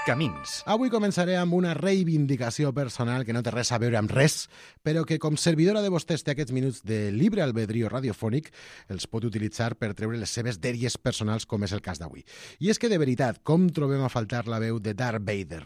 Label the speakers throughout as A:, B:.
A: Camins.
B: Avui començaré amb una reivindicació personal que no té res a veure amb res, però que com servidora de vostès té aquests minuts de llibre albedrío radiofònic els pot utilitzar per treure les seves dèries personals, com és el cas d'avui. I és que, de veritat, com trobem a faltar la veu de Darth Vader?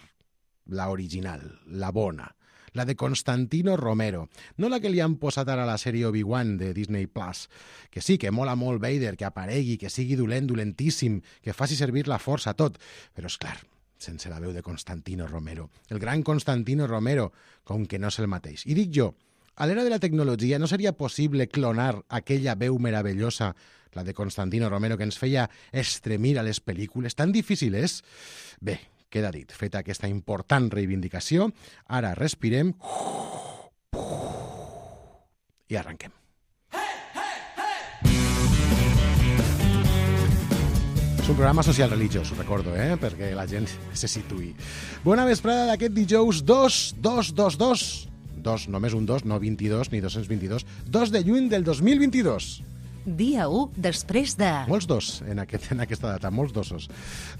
B: La original, la bona, la de Constantino Romero, no la que li han posat ara a la sèrie Obi-Wan de Disney Plus, que sí, que mola molt Vader, que aparegui, que sigui dolent, dolentíssim, que faci servir la força, tot, però és clar, sense la veu de Constantino Romero. El gran Constantino Romero, com que no és el mateix. I dic jo, a l'era de la tecnologia no seria possible clonar aquella veu meravellosa, la de Constantino Romero, que ens feia estremir a les pel·lícules? Tan difícil és? Bé, queda dit, feta aquesta important reivindicació, ara respirem i arrenquem. És un programa social religiós, ho recordo, perquè la gent se situï. Bona vesprada d'aquest dijous 2, només un 2, no 22 ni 222, 2 de juny del 2022.
C: Dia 1 després de...
B: Molts dos en aquesta data, molts dosos.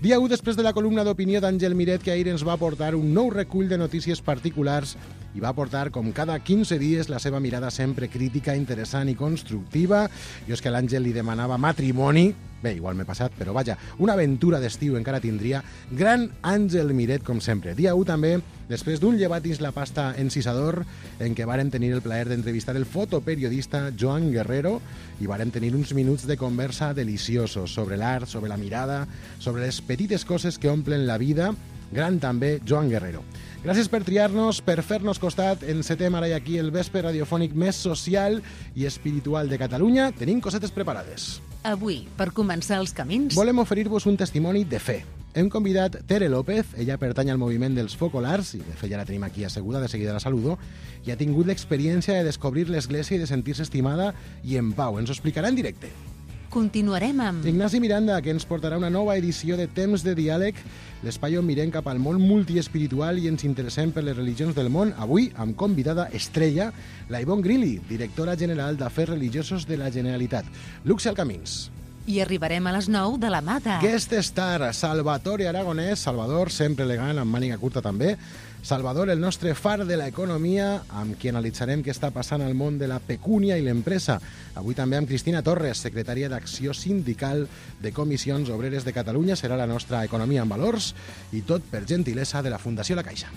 B: Dia 1 després de la columna d'opinió d'Àngel Miret, que ahir ens va portar un nou recull de notícies particulars i va portar, com cada 15 dies, la seva mirada sempre crítica, interessant i constructiva. Jo és que a l'Àngel li demanava matrimoni. Bé, igual m'he passat, però vaja, una aventura d'estiu encara tindria. Gran Àngel Miret, com sempre. Dia 1 també, després d'un llevatis la pasta encisador, en què vàrem tenir el plaer d'entrevistar el fotoperiodista Joan Guerrero i vàrem tenir uns minuts de conversa deliciosos sobre l'art, sobre la mirada, sobre les petites coses que omplen la vida. Gran també Joan Guerrero. Gràcies per triar-nos, per fer-nos costat. Encetem ara i aquí el vespre radiofònic més social i espiritual de Catalunya. Tenim cosetes preparades.
C: Avui, per començar els camins...
B: Volem oferir-vos un testimoni de fe. Hem convidat Tere López, ella pertany al moviment dels focolars, i de fet ja la tenim aquí asseguda, de seguida la saludo, i ha tingut l'experiència de descobrir l'església i de sentir-se estimada i en pau. Ens ho explicarà en directe.
C: Continuarem amb...
B: Ignasi Miranda, que ens portarà una nova edició de Temps de Diàleg, l'espai on mirem cap al món multiespiritual i ens interessem per les religions del món, avui amb convidada estrella, la Ivonne Grilli, directora general d'Afers Religiosos de la Generalitat. Luxe al Camins.
C: I arribarem a les 9 de la mà de...
B: Guest star, Salvatore Aragonès, Salvador, sempre elegant, amb màniga curta també. Salvador, el nostre far de l'economia, amb qui analitzarem què està passant al món de la pecúnia i l'empresa. Avui també amb Cristina Torres, secretària d'Acció Sindical de Comissions Obreres de Catalunya. Serà la nostra Economia en Valors i tot per gentilesa de la Fundació La Caixa.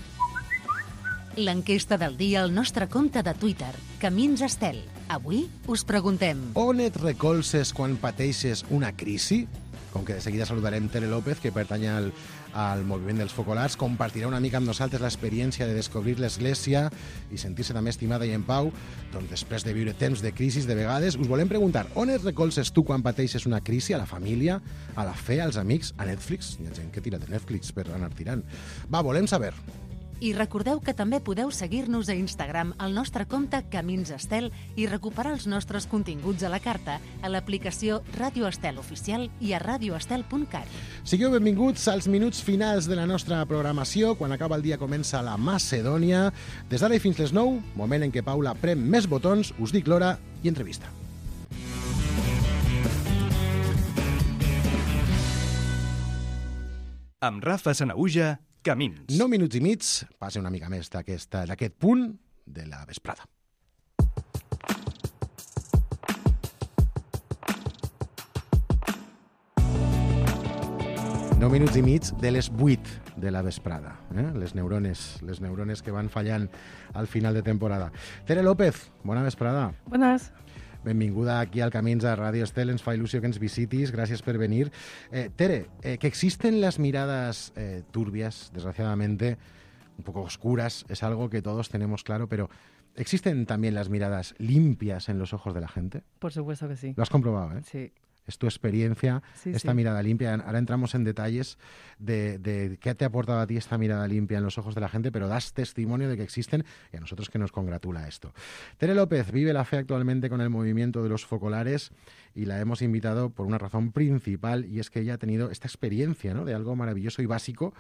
C: L'enquesta del dia al nostre compte de Twitter, Camins Estel. Avui us preguntem...
B: On et recolzes quan pateixes una crisi? Com que de seguida saludarem Tere López, que pertany al moviment dels focolars, compartirà una mica amb nosaltres l'experiència de descobrir l'església i sentir-se també estimada i en pau, doncs després de viure temps de crisis de vegades. Us volem preguntar, on et recolzes tu quan pateixes una crisi? A la família, a la fe, als amics, a Netflix? Hi ha gent que tira de Netflix per anar tirant. Va, volem saber.
C: I recordeu que també podeu seguir-nos a Instagram al nostre compte Camins Estel i recuperar els nostres continguts a la carta a l'aplicació Ràdio Estel Oficial i a radioestel.cat.
B: Sigueu benvinguts als minuts finals de la nostra programació. Quan acaba el dia comença la Macedònia. Des d'ara i fins les 9, moment en què Paula prem més botons, us dic l'hora i entrevista.
A: Amb Rafa Sanaüja, Camins.
B: 9 minuts i mig, passa una mica més d'aquest punt de la vesprada. Nou minuts i mig de les 8 de la vesprada. Les neurones que van fallant al final de temporada. Tere López, bona vesprada.
D: Buenas.
B: Benvinguda aquí al Camins a Radio Estel, ens fa il·lusió que ens visitis, gràcies per venir. Tere, que existen las miradas turbias, desgraciadamente, un poco oscuras, es algo que todos tenemos claro, pero ¿existen también las miradas limpias en los ojos de la gente?
D: Por supuesto que sí.
B: Lo has comprobado, ¿eh?
D: Sí.
B: Es tu experiencia,
D: Sí,
B: esta
D: sí.
B: mirada limpia. Ahora entramos en detalles de qué te ha aportado a ti esta mirada limpia en los ojos de la gente, pero das testimonio de que existen y a nosotros que nos congratula esto. Tere López vive la fe actualmente con el movimiento de los focolares y la hemos invitado por una razón principal, y es que ella ha tenido esta experiencia, ¿no?, de algo maravilloso y básico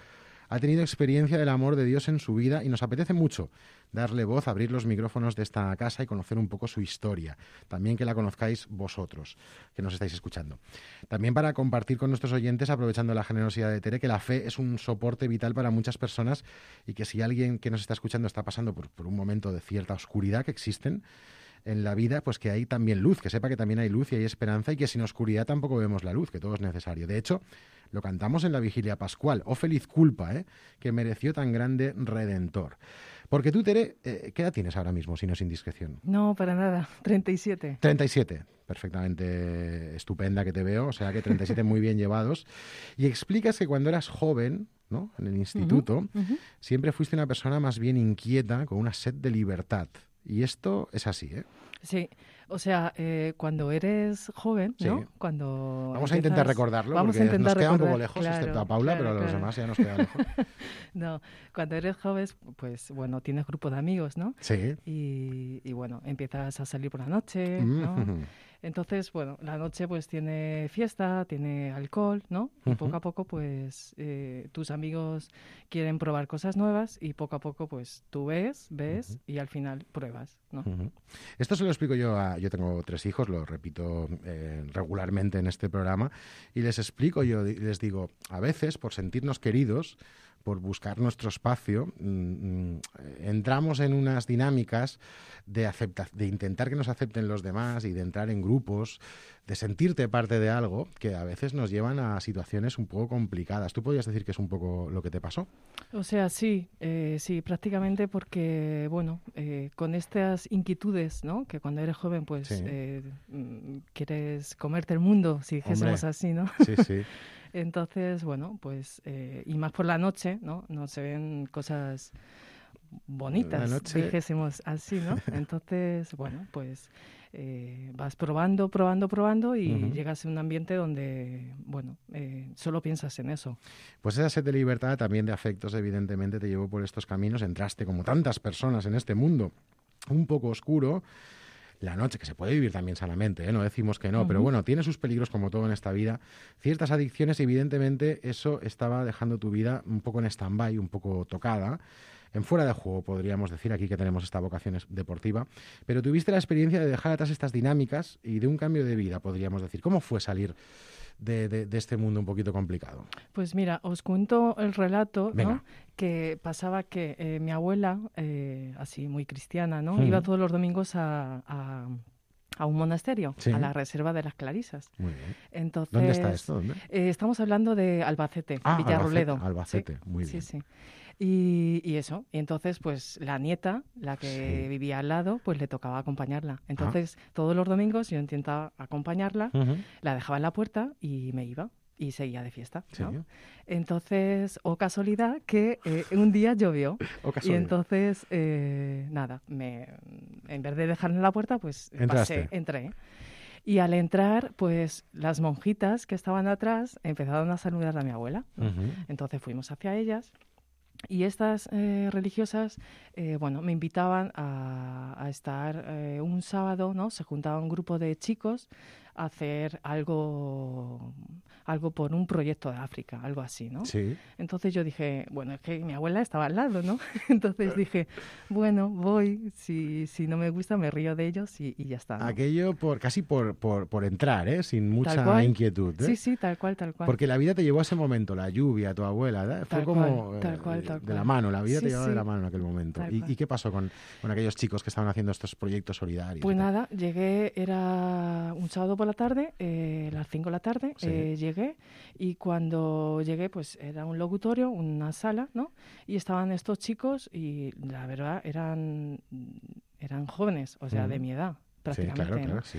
B: ha tenido experiencia del amor de Dios en su vida y nos apetece mucho darle voz, abrir los micrófonos de esta casa y conocer un poco su historia. También que la conozcáis vosotros, que nos estáis escuchando. También para compartir con nuestros oyentes, aprovechando la generosidad de Tere, que la fe es un soporte vital para muchas personas y que si alguien que nos está escuchando está pasando por un momento de cierta oscuridad que existen en la vida, pues que hay también luz, que sepa que también hay luz y hay esperanza y que sin oscuridad tampoco vemos la luz, que todo es necesario. De hecho, lo cantamos en la Vigilia Pascual, oh feliz culpa, que mereció tan grande Redentor. Porque tú, Tere, ¿qué edad tienes ahora mismo, si no es indiscreción?
D: No, para nada, 37.
B: 37, perfectamente estupenda que te veo, o sea que 37 muy bien llevados. Y explicas que cuando eras joven, ¿no?, en el instituto, siempre fuiste una persona más bien inquieta, con una sed de libertad. Y esto es así, ¿eh?
D: Sí, o sea, cuando eres joven, ¿no?
B: Sí.
D: Cuando
B: Vamos a intentar recordarlo,
D: vamos
B: porque
D: a intentar
B: nos queda un poco
D: recordar,
B: lejos,
D: claro,
B: excepto a Paula,
D: claro,
B: pero a los
D: claro.
B: demás ya nos queda lejos.
D: No, cuando eres joven, pues bueno, tienes grupo de amigos, ¿no?
B: Sí.
D: Y bueno, empiezas a salir por la noche, ¿no?
B: Mm.
D: Entonces, bueno, la noche pues tiene fiesta, tiene alcohol, ¿no? Y poco a poco pues tus amigos quieren probar cosas nuevas y poco a poco pues tú ves y al final pruebas, ¿no?
B: Esto se lo explico yo tengo 3 hijos, lo repito regularmente en este programa, y les explico, yo les digo, a veces por sentirnos queridos, por buscar nuestro espacio, entramos en unas dinámicas de intentar que nos acepten los demás y de entrar en grupos, de sentirte parte de algo que a veces nos llevan a situaciones un poco complicadas. ¿Tú podrías decir que es un poco lo que te pasó?
D: O sea, sí, prácticamente porque, bueno, con estas inquietudes, ¿no? Que cuando eres joven, pues
B: Sí.
D: quieres comerte el mundo, si dijésemos
B: Hombre.
D: así, ¿no?
B: Sí, sí.
D: Entonces, bueno, pues, y más por la noche, ¿no? No se ven cosas bonitas,
B: La noche-
D: dijésemos así, ¿no? Entonces, bueno, pues vas probando y llegas a un ambiente donde, bueno, solo piensas en eso.
B: Pues esa sed de libertad, también de afectos, evidentemente, te llevó por estos caminos. Entraste, como tantas personas en este mundo, un poco oscuro. La noche, que se puede vivir también sanamente, no decimos que no, pero bueno, tiene sus peligros como todo en esta vida. Ciertas adicciones, evidentemente, eso estaba dejando tu vida un poco en stand-by, un poco tocada, en fuera de juego, podríamos decir, aquí que tenemos esta vocación deportiva. Pero tuviste la experiencia de dejar atrás estas dinámicas y de un cambio de vida, podríamos decir. ¿Cómo fue salir de este mundo un poquito complicado?
D: Pues mira, os cuento el relato,
B: Venga.
D: ¿no? Que pasaba que mi abuela, así muy cristiana, ¿no? Iba todos los domingos a un monasterio,
B: Sí.
D: a la Reserva de las Clarisas.
B: Muy bien.
D: Entonces,
B: ¿Dónde está esto? ¿Dónde?
D: Estamos hablando de Albacete,
B: Ah,
D: Villarroledo.
B: Albacete,
D: Sí,
B: muy bien.
D: Sí, sí. Y eso, y entonces pues la nieta, la que
B: Sí.
D: vivía al lado, pues le tocaba acompañarla. Entonces todos los domingos yo intentaba acompañarla, la dejaba en la puerta y me iba y seguía de fiesta, ¿no?
B: Sí.
D: Entonces, o casualidad que un día llovió
B: O
D: y
B: casualidad.
D: entonces, nada, en vez de dejarla en la puerta, pues
B: Entraste.
D: entré. Y al entrar, pues las monjitas que estaban atrás empezaron a saludar a mi abuela, ¿no? Entonces fuimos hacia ellas. Y estas religiosas, bueno, me invitaban a estar un sábado, ¿no? Se juntaba un grupo de chicos a hacer algo por un proyecto de África, algo así, ¿no?
B: Sí.
D: Entonces yo dije, bueno, es que mi abuela estaba al lado, ¿no? Entonces dije, bueno, voy, si no me gusta me río de ellos y ya está, ¿no?
B: Aquello casi por entrar, sin
D: Tal
B: mucha
D: cual.
B: inquietud.
D: Sí, tal cual.
B: Porque la vida te llevó a ese momento, la lluvia, tu abuela, ¿verdad? Fue
D: Tal
B: como
D: cual, tal cual.
B: de la mano, la vida te
D: Sí,
B: llevaba de
D: sí.
B: la mano en aquel momento.
D: Tal
B: ¿Y
D: cual.
B: qué pasó con aquellos chicos que estaban haciendo estos proyectos solidarios?
D: Pues
B: y tal?
D: nada, llegué, era un sábado por la tarde, a las 5 de la tarde,
B: Sí.
D: llegué y cuando llegué pues era un locutorio, una sala, ¿no? Y estaban estos chicos y la verdad eran jóvenes, o sea, de mi edad
B: Sí,
D: prácticamente,
B: claro,
D: ¿no?
B: claro, sí.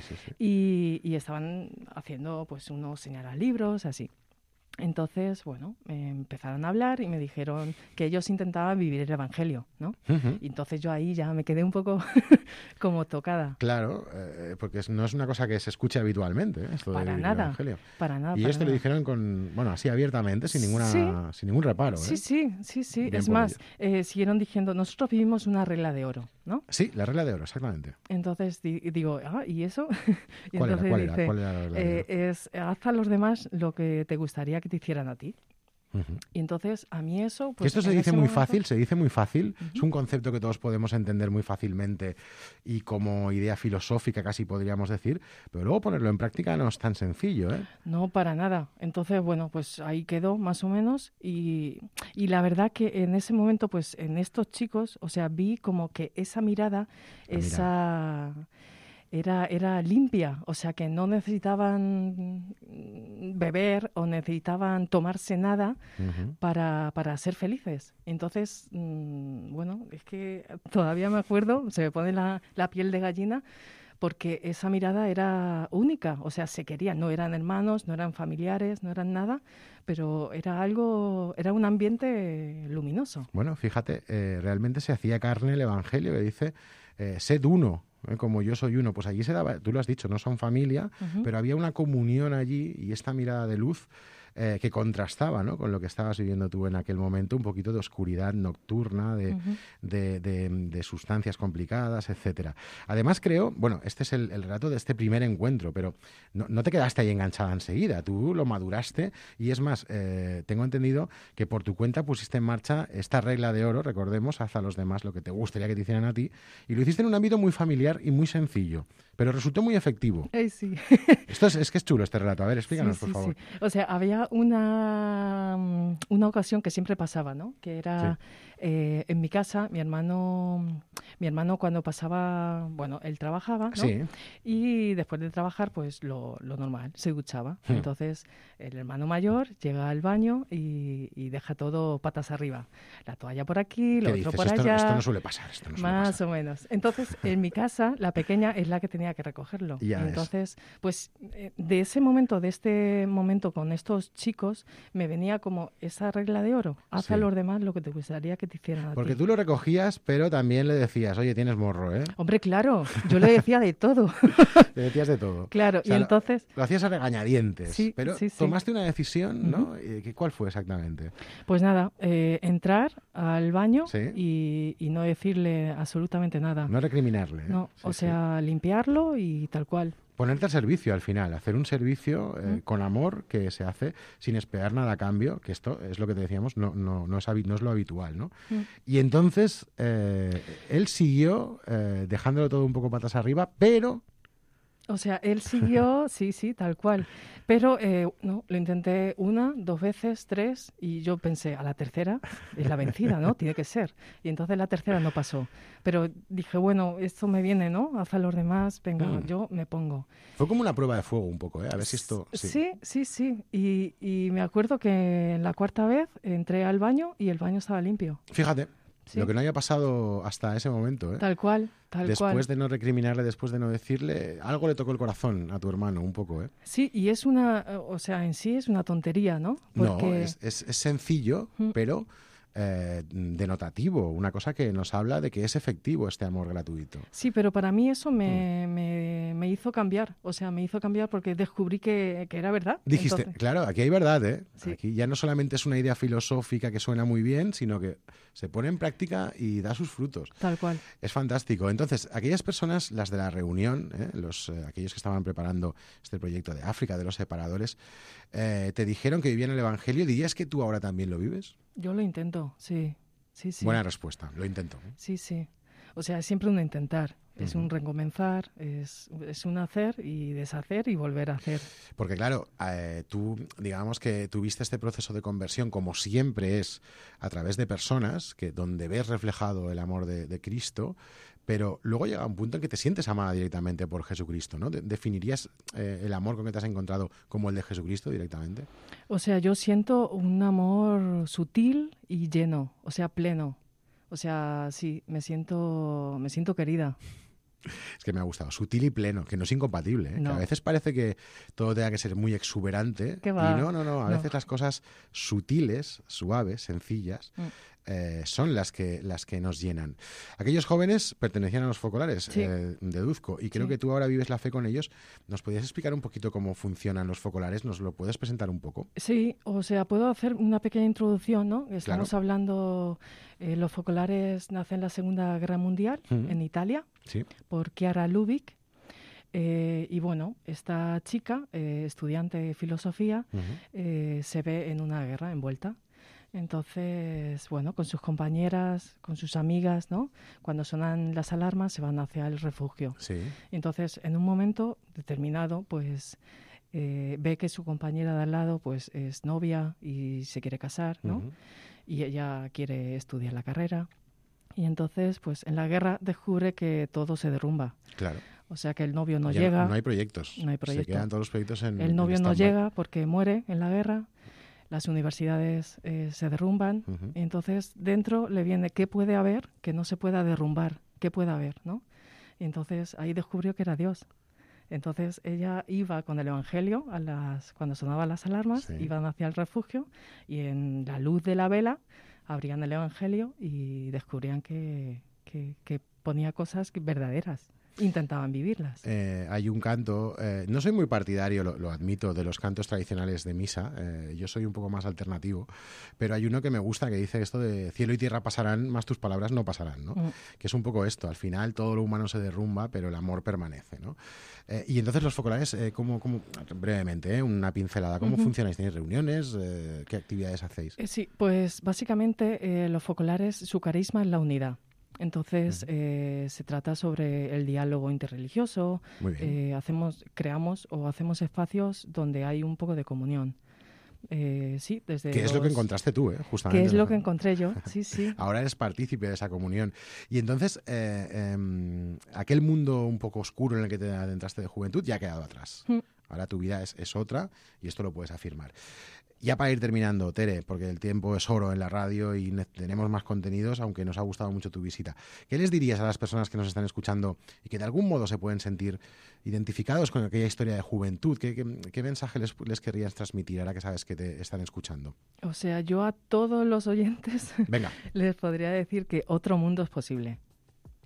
D: Y estaban haciendo pues unos señalablibros, así. Entonces, bueno, empezaron a hablar y me dijeron que ellos intentaban vivir el Evangelio, ¿no? Y entonces yo ahí ya me quedé un poco como tocada.
B: Claro, porque no es una cosa que se escuche habitualmente, esto de
D: Para
B: vivir el
D: nada,
B: Evangelio.
D: para nada.
B: Y
D: para
B: ellos te lo
D: nada.
B: dijeron así abiertamente, sin ningún reparo.
D: Sí,
B: ¿eh?
D: sí.
B: Bien
D: Es
B: por
D: más, siguieron diciendo, nosotros vivimos una regla de oro, ¿no?
B: Sí, la regla de oro, exactamente.
D: Entonces digo, ¿y eso? Y
B: ¿Cuál
D: entonces
B: era? ¿Cuál era la regla de oro?
D: es haz a los demás lo que te gustaría que te hicieran a ti. Y entonces, a mí eso...
B: Pues, esto se dice muy fácil, es un concepto que todos podemos entender muy fácilmente y como idea filosófica casi podríamos decir, pero luego ponerlo en práctica no es tan sencillo, ¿eh?
D: No, para nada. Entonces, bueno, pues ahí quedó más o menos y la verdad que en ese momento, pues en estos chicos, o sea, vi como que esa mirada, Era limpia, o sea que no necesitaban beber o necesitaban tomarse nada para ser felices. Entonces, bueno, es que todavía me acuerdo, se me pone la piel de gallina, porque esa mirada era única, o sea, se querían, no eran hermanos, no eran familiares, no eran nada, pero era un ambiente luminoso.
B: Bueno, fíjate, realmente se hacía carne el Evangelio que dice, sed uno. Como yo soy uno, pues allí se daba, tú lo has dicho, no son familia, pero había una comunión allí y esta mirada de luz que contrastaba, ¿no?, con lo que estabas viviendo tú en aquel momento, un poquito de oscuridad nocturna, de sustancias complicadas, etcétera. Además creo, bueno, este es el relato de este primer encuentro, pero no te quedaste ahí enganchada enseguida, tú lo maduraste y es más, tengo entendido que por tu cuenta pusiste en marcha esta regla de oro, recordemos, haz a los demás lo que te gustaría que te hicieran a ti, y lo hiciste en un ámbito muy familiar y muy sencillo, pero resultó muy efectivo.
D: Sí.
B: Esto es que es chulo este relato, a ver, explícanos, por favor.
D: Sí. O sea, había una ocasión que siempre pasaba, ¿no? Que era en mi casa, mi hermano cuando pasaba, bueno, él trabajaba, ¿no?
B: Sí.
D: Y después de trabajar, pues lo normal, se duchaba. Entonces, el hermano mayor llega al baño y deja todo patas arriba. La toalla por aquí, lo otro por allá.
B: Esto no suele pasar.
D: Más o menos. Entonces, en mi casa, la pequeña es la que tenía que recogerlo. Entonces, pues, de este momento con estos chicos, me venía como esa regla de oro. Haz a los demás lo que te gustaría que te hicieran a ti.
B: Porque tú lo recogías, pero también le decías, oye, tienes morro, ¿eh?
D: Hombre, claro, yo le decía de todo.
B: Le decías de todo.
D: Claro, o sea, y entonces...
B: Lo hacías a regañadientes, pero tomaste una decisión, ¿no? ¿Cuál fue exactamente?
D: Pues nada, entrar al baño y no decirle absolutamente nada.
B: No recriminarle.
D: No, limpiarlo y tal cual.
B: Ponerte al servicio al final, hacer un servicio con amor que se hace sin esperar nada a cambio, que esto es lo que te decíamos, no es lo habitual, ¿no? Y entonces él siguió dejándolo todo un poco patas arriba, pero...
D: O sea, él siguió, sí, tal cual. Pero no, lo intenté 1, 2 veces, 3, y yo pensé, a la tercera es la vencida, ¿no? Tiene que ser. Y entonces la tercera no pasó. Pero dije, bueno, esto me viene, ¿no? Haz a los demás, venga, yo me pongo.
B: Fue como una prueba de fuego un poco, ¿eh? A ver si esto...
D: Sí. Y me acuerdo que en la 4ª vez entré al baño y el baño estaba limpio.
B: Fíjate. Sí. Lo que no había pasado hasta ese momento, ¿eh?
D: Tal cual.
B: Después de no recriminarle, después de no decirle, algo le tocó el corazón a tu hermano, un poco, ¿eh?
D: Sí, y es en sí es una tontería, ¿no?
B: Porque... No, es sencillo, pero denotativo, una cosa que nos habla de que es efectivo este amor gratuito.
D: Sí, pero para mí eso me hizo cambiar, me hizo cambiar porque descubrí que era verdad.
B: Dijiste,
D: entonces...
B: claro, aquí hay verdad, ¿eh?
D: Sí.
B: Aquí ya no solamente es una idea filosófica que suena muy bien, sino que se pone en práctica y da sus frutos.
D: Tal cual.
B: Es fantástico. Entonces, aquellas personas, las de la reunión, aquellos que estaban preparando este proyecto de África, de los separadores, te dijeron que vivían el Evangelio. ¿Dirías que tú ahora también lo vives?
D: Yo lo intento, sí.
B: Buena respuesta, lo intento.
D: Sí. O sea, es siempre un intentar, es un recomenzar, es un hacer y deshacer y volver a hacer.
B: Porque claro, tú, digamos que tuviste este proceso de conversión, como siempre es, a través de personas, donde ves reflejado el amor de Cristo, pero luego llega un punto en que te sientes amada directamente por Jesucristo, ¿no? ¿Definirías el amor con que te has encontrado como el de Jesucristo directamente?
D: O sea, yo siento un amor sutil y lleno, o sea, pleno. O sea, sí, me siento querida.
B: Es que me ha gustado, sutil y pleno, que no es incompatible, ¿eh?
D: No.
B: Que a veces parece que todo tenga que ser muy exuberante.
D: ¿Qué va?
B: Y no, a veces las cosas sutiles, suaves, sencillas, son las que nos llenan. Aquellos jóvenes pertenecían a los focolares de Duzco y creo que tú ahora vives la fe con ellos. ¿Nos podrías explicar un poquito cómo funcionan los focolares? ¿Nos lo puedes presentar un poco?
D: Sí, o sea, puedo hacer una pequeña introducción, ¿no? Estamos hablando, los focolares nacen en la Segunda Guerra Mundial en Italia por Chiara Lubich. Y bueno, esta chica, estudiante de filosofía, se ve en una guerra envuelta. Entonces, bueno, con sus compañeras, con sus amigas, ¿no? Cuando sonan las alarmas se van hacia el refugio.
B: Sí.
D: Entonces, en un momento determinado, pues ve que su compañera de al lado pues es novia y se quiere casar, ¿no? Y ella quiere estudiar la carrera. Y entonces, pues en la guerra descubre que todo se derrumba.
B: Claro.
D: O sea, que el novio no
B: Ya
D: llega.
B: No hay proyectos.
D: No hay proyecto.
B: Se quedan todos los proyectos en
D: el novio no
B: stand-by.
D: llega porque muere en la guerra. Las universidades se derrumban. Y entonces, dentro le viene qué puede haber que no se pueda derrumbar. ¿Qué puede haber, no? Y entonces, ahí descubrió que era Dios. Entonces ella iba con el Evangelio cuando sonaban las alarmas,
B: Sí.
D: iban hacia el refugio y en la luz de la vela abrían el Evangelio y descubrían que ponía cosas verdaderas. Intentaban vivirlas.
B: Hay un canto, no soy muy partidario, lo admito, de los cantos tradicionales de misa, yo soy un poco más alternativo, pero hay uno que me gusta que dice esto de cielo y tierra pasarán, más tus palabras no pasarán, ¿no? Que es un poco esto, al final todo lo humano se derrumba, pero el amor permanece, ¿no? Y entonces los focolares, ¿cómo brevemente, una pincelada, ¿cómo funcionáis? ¿Tenéis reuniones? ¿Qué actividades hacéis?
D: Sí, pues básicamente los focolares, su carisma es la unidad. Entonces, se trata sobre el diálogo interreligioso.
B: Muy bien.
D: Creamos o hacemos espacios donde hay un poco de comunión. Sí, desde
B: ¿Qué es lo que encontraste tú, justamente?
D: ¿Qué es lo que encontré yo? Sí, sí.
B: Ahora eres partícipe de esa comunión. Y entonces, aquel mundo un poco oscuro en el que te adentraste de juventud ya ha quedado atrás. Ahora tu vida es otra y esto lo puedes afirmar. Ya para ir terminando, Tere, porque el tiempo es oro en la radio y tenemos más contenidos, aunque nos ha gustado mucho tu visita. ¿Qué les dirías a las personas que nos están escuchando y que de algún modo se pueden sentir identificados con aquella historia de juventud? ¿Qué mensaje les querrías transmitir ahora que sabes que te están escuchando?
D: O sea, yo a todos los oyentes
B: Venga.
D: les podría decir que otro mundo es posible.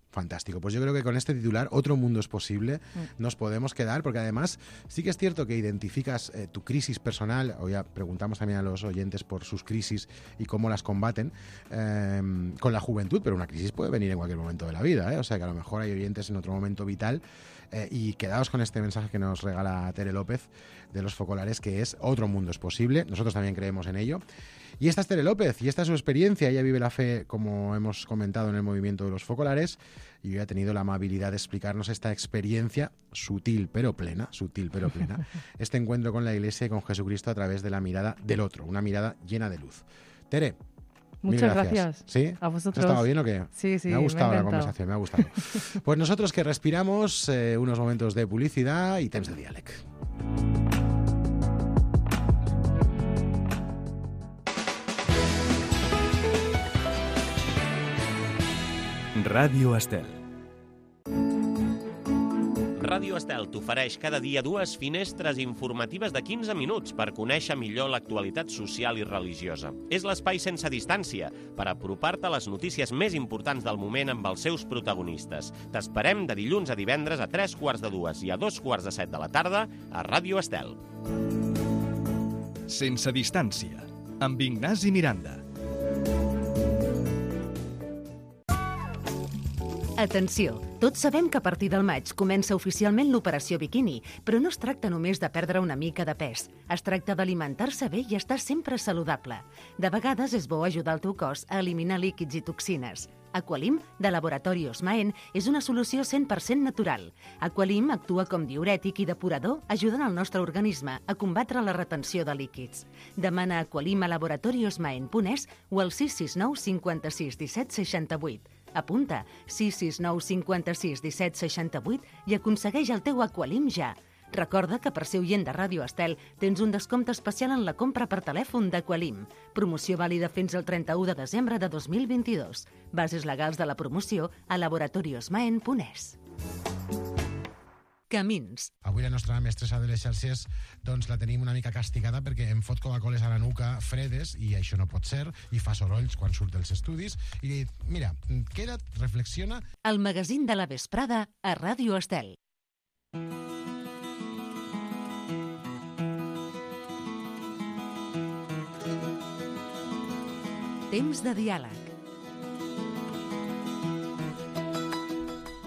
B: Fantástico. Pues yo creo que con este titular, Otro mundo es posible, nos podemos quedar, porque además sí que es cierto que identificas tu crisis personal, o ya preguntamos también a los oyentes por sus crisis y cómo las combaten, con la juventud, pero una crisis puede venir en cualquier momento de la vida, o sea que a lo mejor hay oyentes en otro momento vital, y quedaos con este mensaje que nos regala Tere López de los focolares, que es Otro mundo es posible. Nosotros también creemos en ello. Y esta es Tere López, y esta es su experiencia. Ella vive la fe, como hemos comentado, en el movimiento de los focolares, y hoy ha tenido la amabilidad de explicarnos esta experiencia sutil pero plena, este encuentro con la Iglesia y con Jesucristo a través de la mirada del otro, una mirada llena de luz. Tere,
D: muchas gracias.
B: ¿Sí?
D: A vosotros.
B: ¿Ha estado bien o qué?
D: Sí,
B: Me ha gustado
D: me
B: la conversación, me ha gustado. Pues nosotros que respiramos unos momentos de publicidad y temps de diàleg.
A: Ràdio Estel.
E: Ràdio Estel t'ofereix cada dia 2 finestres informatives de 15 minuts per conèixer millor l'actualitat social i religiosa. És l'espai sense distància per apropar-te a les notícies més importants del moment amb els seus protagonistes. T'esperem de dilluns a divendres a 3:45 i a 2:45 de la tarda a Ràdio Estel.
A: Sense distància, amb Ignasi Miranda.
C: Atenció! Tots sabem que a partir del maig comença oficialment l'operació biquini, però no es tracta només de perdre una mica de pes. Es tracta d'alimentar-se bé i estar sempre saludable. De vegades és bo ajudar el teu cos a eliminar líquids i toxines. Aqualim, de Laboratori Osmaen, és una solució 100% natural. Aqualim actua com diürètic i depurador, ajudant el nostre organisme a combatre la retenció de líquids. Demana Aqualim a laboratoriosmaen.es o al 669 56 17 68. Apunta 669 56 17 68 i aconsegueix el teu Aqualim ja. Recorda que per ser oient de Ràdio Estel tens un descompte especial en la compra per telèfon d'Aqualim. Promoció vàlida fins al 31 de desembre de 2022. Bases legals de la promoció a laboratoriosmaen.es. Camins.
B: Avui la nostra mestressa de les xarxes doncs la tenim una mica castigada perquè em fot Coca-Coles a la nuca fredes i això no pot ser, i fa sorolls quan surt dels estudis, i li dic, mira, queda't, reflexiona.
C: El magazín de la vesprada a Ràdio Estel. Temps de diàleg.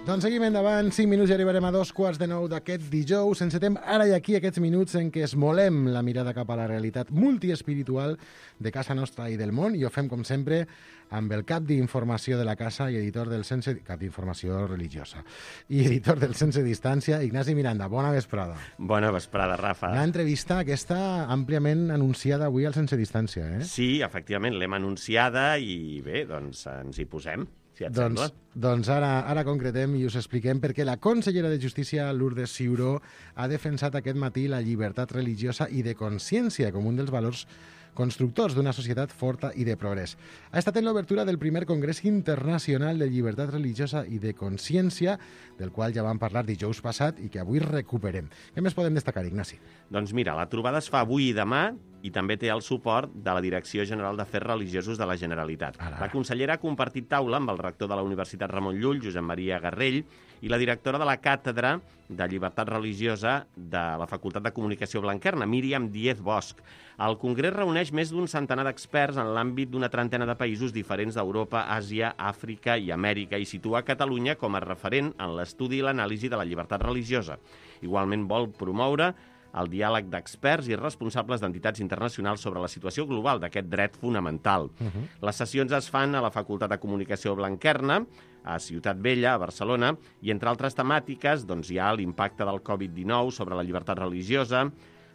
B: Doncs seguim endavant, 5 minuts i arribarem a 2:15 d'aquest dijous. Encetem ara i aquí aquests minuts en què esmolem la mirada cap a la realitat multiespiritual de casa nostra i del món, i ho fem, com sempre, amb el cap d'informació de la casa i editor del cap d'informació religiosa i editor del Sense Distància, Ignasi Miranda. Bona vesprada.
E: Bona vesprada, Rafa.
B: Una entrevista aquesta àmpliament anunciada avui al Sense Distància, eh?
E: Sí, efectivament, l'hem anunciada i bé, doncs ens hi posem, si et sembla.
B: Doncs ara concretem i us expliquem perquè la consellera de Justícia, Lourdes Ciuró, ha defensat aquest matí la llibertat religiosa i de consciència com un dels valors constructors d'una societat forta i de progrés. Ha estat en l'obertura del primer Congrés Internacional de Llibertat Religiosa i de Consciència, del qual ja vam parlar dijous passat i que avui recuperem. Què més podem destacar, Ignasi?
E: Doncs mira, la trobada es fa avui i demà i també té el suport de la Direcció General d'Afers Religiosos de la Generalitat. La consellera ha compartit taula amb el rector de la Universitat Ramon Llull, Josep Maria Garrell, i la directora de la Càtedra de Llibertat Religiosa de la Facultat de Comunicació Blanquerna, Míriam Díez Bosch. El Congrés reuneix més d'un centenar d'experts en l'àmbit d'una trentena de països diferents d'Europa, Àsia, Àfrica i Amèrica i situa Catalunya com a referent en l'estudi i l'anàlisi de la llibertat religiosa. Igualment vol promoure el diàleg d'experts i responsables d'entitats internacionals sobre la situació global d'aquest dret fonamental. Les sessions es fan a la Facultat de Comunicació Blanquerna, a Ciutat Vella, a Barcelona, i entre altres temàtiques doncs, hi ha l'impacte del Covid-19 sobre la llibertat religiosa,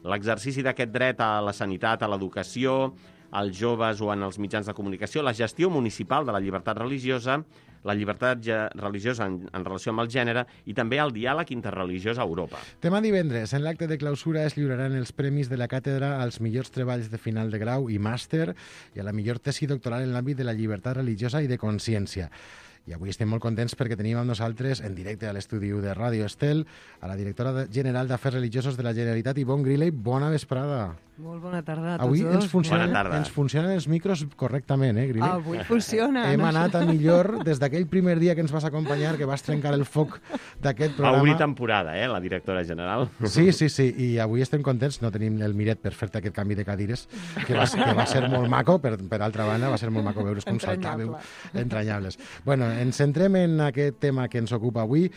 E: l'exercici d'aquest dret a la sanitat, a l'educació, als joves o en els mitjans de comunicació, la gestió municipal de la llibertat religiosa, la llibertat religiosa en relació amb el gènere i també el diàleg interreligiós a Europa.
B: Demà divendres, en l'acte de clausura, es lliuraran els premis de la càtedra als millors treballs de final de grau i màster i a la millor tesi doctoral en l'àmbit de la llibertat religiosa i de consciència. I avui estem molt contents perquè tenim amb nosaltres, en directe a l'estudi de Ràdio Estel, a la directora general d'Afers Religiosos de la Generalitat, Ivonne Griley. Bona vesprada.
F: Molt bona tarda a tots
B: avui
F: dos.
B: Ens funcionen els micros correctament, Griley?
F: Avui funciona.
B: Hem anat a millor des d'aquell primer dia que ens vas acompanyar, que vas trencar el foc d'aquest programa.
E: Va obrir temporada, la directora general.
B: Sí, i avui estem contents. No tenim el Miret per fer-te aquest canvi de cadires, que va ser molt maco, per altra banda, va ser molt maco veure's com saltàveu. Entranyables. Bueno, ens centrem en aquest tema que ens ocupa avui.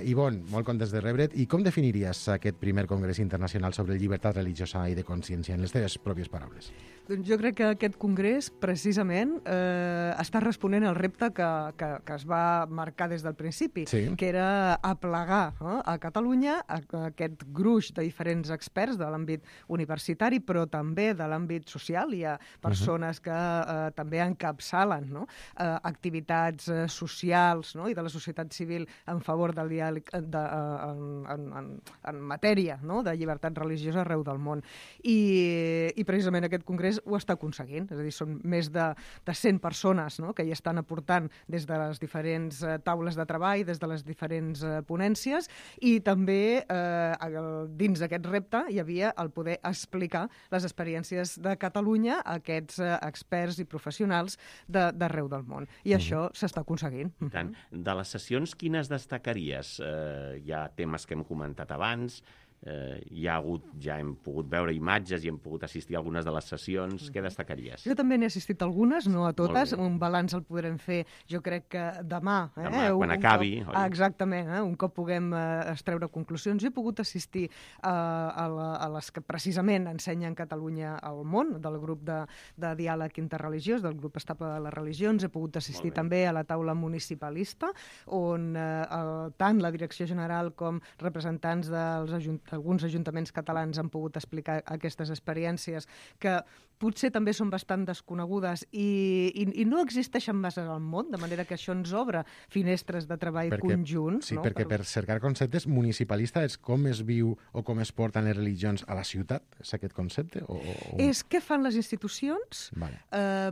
B: Ivonne, molt contents de rebre't. I com definiries aquest primer Congrés Internacional sobre llibertat religiosa i de consciència, en les teves pròpies paraules?
F: Doncs jo crec que aquest congrés, precisament, està responent al repte que es va marcar des del principi, que era aplegar a Catalunya aquest gruix de diferents experts de l'àmbit universitari, però també de l'àmbit social. Hi ha persones que també encapçalen activitats socials i de la societat civil en favor del diàleg en matèria de llibertat religiosa arreu del món. I precisament aquest congrés ho està aconseguint, és a dir, són més de 100 persones que hi estan aportant des de les diferents taules de treball, des de les diferents ponències, i també dins d'aquest repte hi havia el poder explicar les experiències de Catalunya a aquests experts i professionals d'arreu del món. I això s'està aconseguint.
E: Tant. De les sessions, quines destacaries? Hi ha temes que hem comentat abans, ja hem pogut veure imatges i hem pogut assistir a algunes de les sessions. Què destacaries?
F: Jo també n'he assistit a algunes, no a totes. Un balanç el podrem fer, jo crec que demà.
E: Quan acabi.
F: Exactament, un cop puguem extreure conclusions. Jo he pogut assistir a les que precisament ensenyen Catalunya al món, del grup de diàleg interreligiós, del grup estable de les religions. He pogut assistir també a la taula municipalista, on tant la Direcció General com representants d'alguns ajuntaments catalans han pogut explicar aquestes experiències que potser també són bastant desconegudes i no existeixen massa al món, de manera que això ens obre finestres de treball conjunts.
B: Sí, perquè per cercar conceptes, municipalista és com es viu o com es porten les religions a la ciutat? És aquest concepte?
F: És què fan les institucions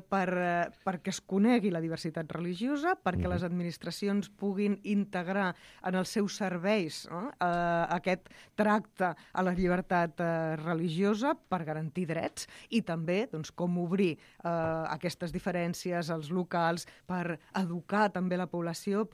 F: perquè es conegui la diversitat religiosa, perquè les administracions puguin integrar en els seus serveis aquest tracte a la llibertat religiosa per garantir drets i també també doncs, com obrir aquestes diferències als locals per educar també la població,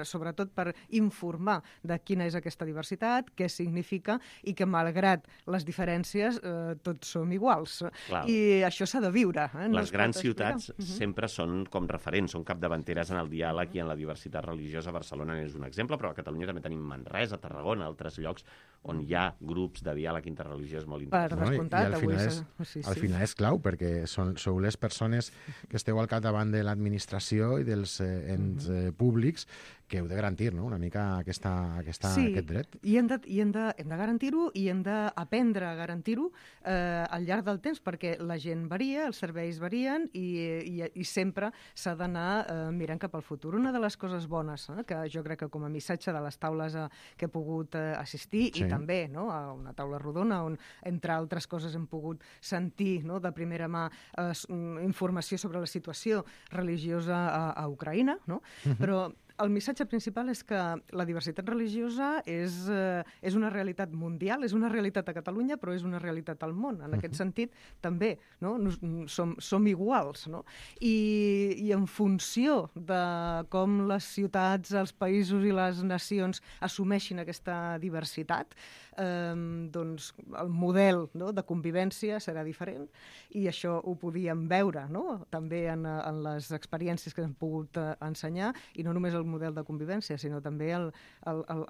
F: sobretot per informar de quina és aquesta diversitat, què significa i que malgrat les diferències tots som iguals.
E: Clar.
F: I això s'ha de viure.
E: Les grans ciutats sempre són com referents, són capdavanteres en el diàleg i en la diversitat religiosa. Barcelona és un exemple, però a Catalunya també tenim Manresa, Tarragona, altres llocs on hi ha grups de diàleg interreligiós molt interessants.
F: Per descomptat,
B: al final és clau, perquè sou les persones que esteu al capdavant de l'administració i dels ens públics que heu de garantir, no?, una mica aquest dret.
F: I hem de garantir-ho i hem d'aprendre a garantir-ho al llarg del temps, perquè la gent varia, els serveis varien i sempre s'ha d'anar mirant cap al futur. Una de les coses bones que jo crec que com a missatge de les taules que he pogut assistir, i també a una taula rodona on, entre altres coses, hem pogut sentir de primera mà informació sobre la situació religiosa a Ucraïna, però el missatge principal és que la diversitat religiosa és una realitat mundial, és una realitat a Catalunya, però és una realitat al món. En aquest sentit, també som iguals. I en funció de com les ciutats, els països i les nacions assumeixin aquesta diversitat, doncs el model de convivència serà diferent, i això ho podíem veure també en les experiències que hem pogut ensenyar, i no només el model de convivència, sinó també el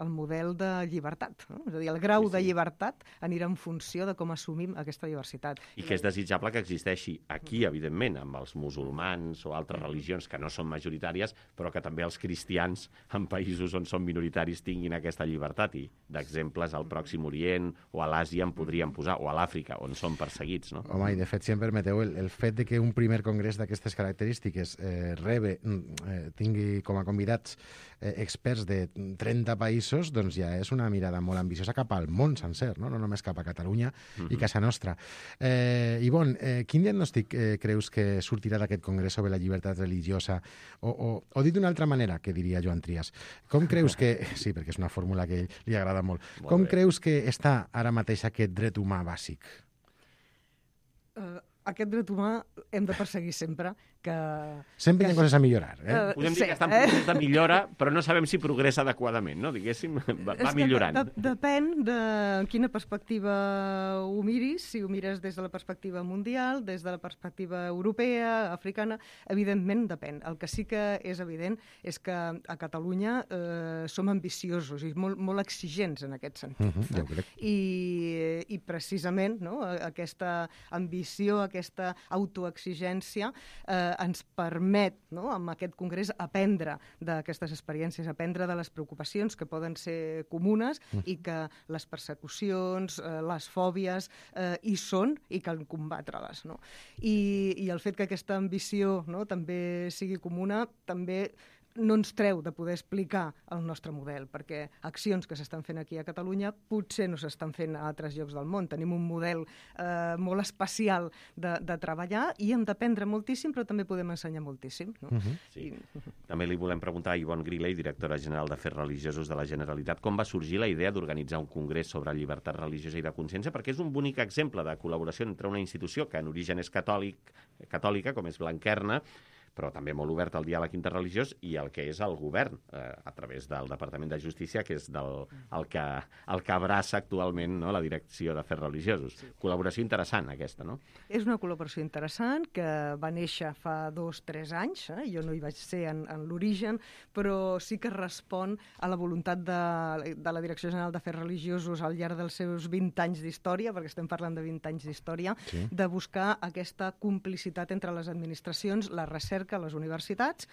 F: model de llibertat. És a dir, el grau de llibertat anirà en funció de com assumim aquesta diversitat.
E: I que és desitjable que existeixi aquí, evidentment, amb els musulmans o altres religions que no són majoritàries, però que també els cristians en països on són minoritaris tinguin aquesta llibertat. I d'exemples al Pròxim Orient o a l'Àsia en podríem posar, o a l'Àfrica, on són perseguits.
B: Home, i de fet, si em permeteu, el fet de que un primer congrés d'aquestes característiques tingui com a convidats experts de 30 països, doncs ja és una mirada molt ambiciosa cap al món sencer, no només cap a Catalunya i casa nostra. Ivonne, quin diagnòstic creus que sortirà d'aquest congrés sobre la llibertat religiosa? O dit d'una altra manera, que diria Joan Trias, com creus que... Sí, perquè és una fórmula que li agrada molt. Com creus que està ara mateix aquest dret humà bàsic?
F: Aquest dret humà hem de perseguir sempre que...
B: Sempre hi ha coses a millorar,
E: Podem dir que està en procés de millora, però no sabem si progressa adequadament, no? Diguéssim, va millorant.
F: Depèn de quina perspectiva ho miris, si ho mires des de la perspectiva mundial, des de la perspectiva europea, africana, evidentment depèn. El que sí que és evident és que a Catalunya som ambiciosos i molt exigents en aquest sentit.
B: Ja ho crec.
F: I precisament aquesta ambició, aquesta autoexigència ens permet, amb aquest congrés, aprendre d'aquestes experiències, aprendre de les preocupacions que poden ser comunes i que les persecucions, les fòbies hi són i cal combatre-les. I el fet que aquesta ambició també sigui comuna també no ens treu de poder explicar el nostre model, perquè accions que s'estan fent aquí a Catalunya potser no s'estan fent a altres llocs del món. Tenim un model molt especial de treballar i hem d'aprendre moltíssim, però també podem ensenyar moltíssim.
E: Sí. També li volem preguntar a Ivonne Griley, directora general d'Afers Religiosos de la Generalitat, com va sorgir la idea d'organitzar un congrés sobre llibertat religiosa i de consciència, perquè és un bonic exemple de col·laboració entre una institució que en origen és catòlica, com és Blanquerna, però també molt obert al diàleg interreligiós, i el que és el govern, a través del Departament de Justícia, que és el que abraça actualment la Direcció d'Afers Religiosos. Sí. Col·laboració interessant, aquesta, no?
F: És una col·laboració interessant que va néixer fa 2-3 anys. Jo no hi vaig ser en l'origen, però sí que respon a la voluntat de la Direcció General d'Afers Religiosos al llarg dels seus 20 anys d'història, perquè estem parlant de 20 anys d'història, sí, de buscar aquesta complicitat entre les administracions, la recerca, les universitats,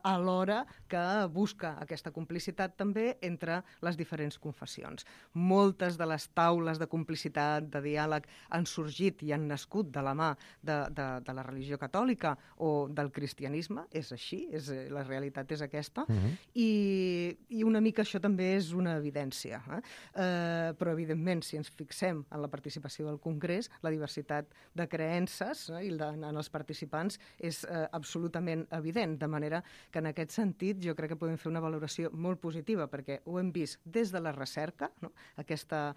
F: alhora que busca aquesta complicitat també entre les diferents confessions. Moltes de les taules de complicitat, de diàleg, han sorgit i han nascut de la mà de la religió catòlica o del cristianisme. És així, la realitat és aquesta. I una mica això també és una evidència. Però, evidentment, si ens fixem en la participació del Congrés, la diversitat de creences en els participants és absolutament absolutament evident, de manera que en aquest sentit jo crec que podem fer una valoració molt positiva, perquè ho hem vist des de la recerca, no? Aquesta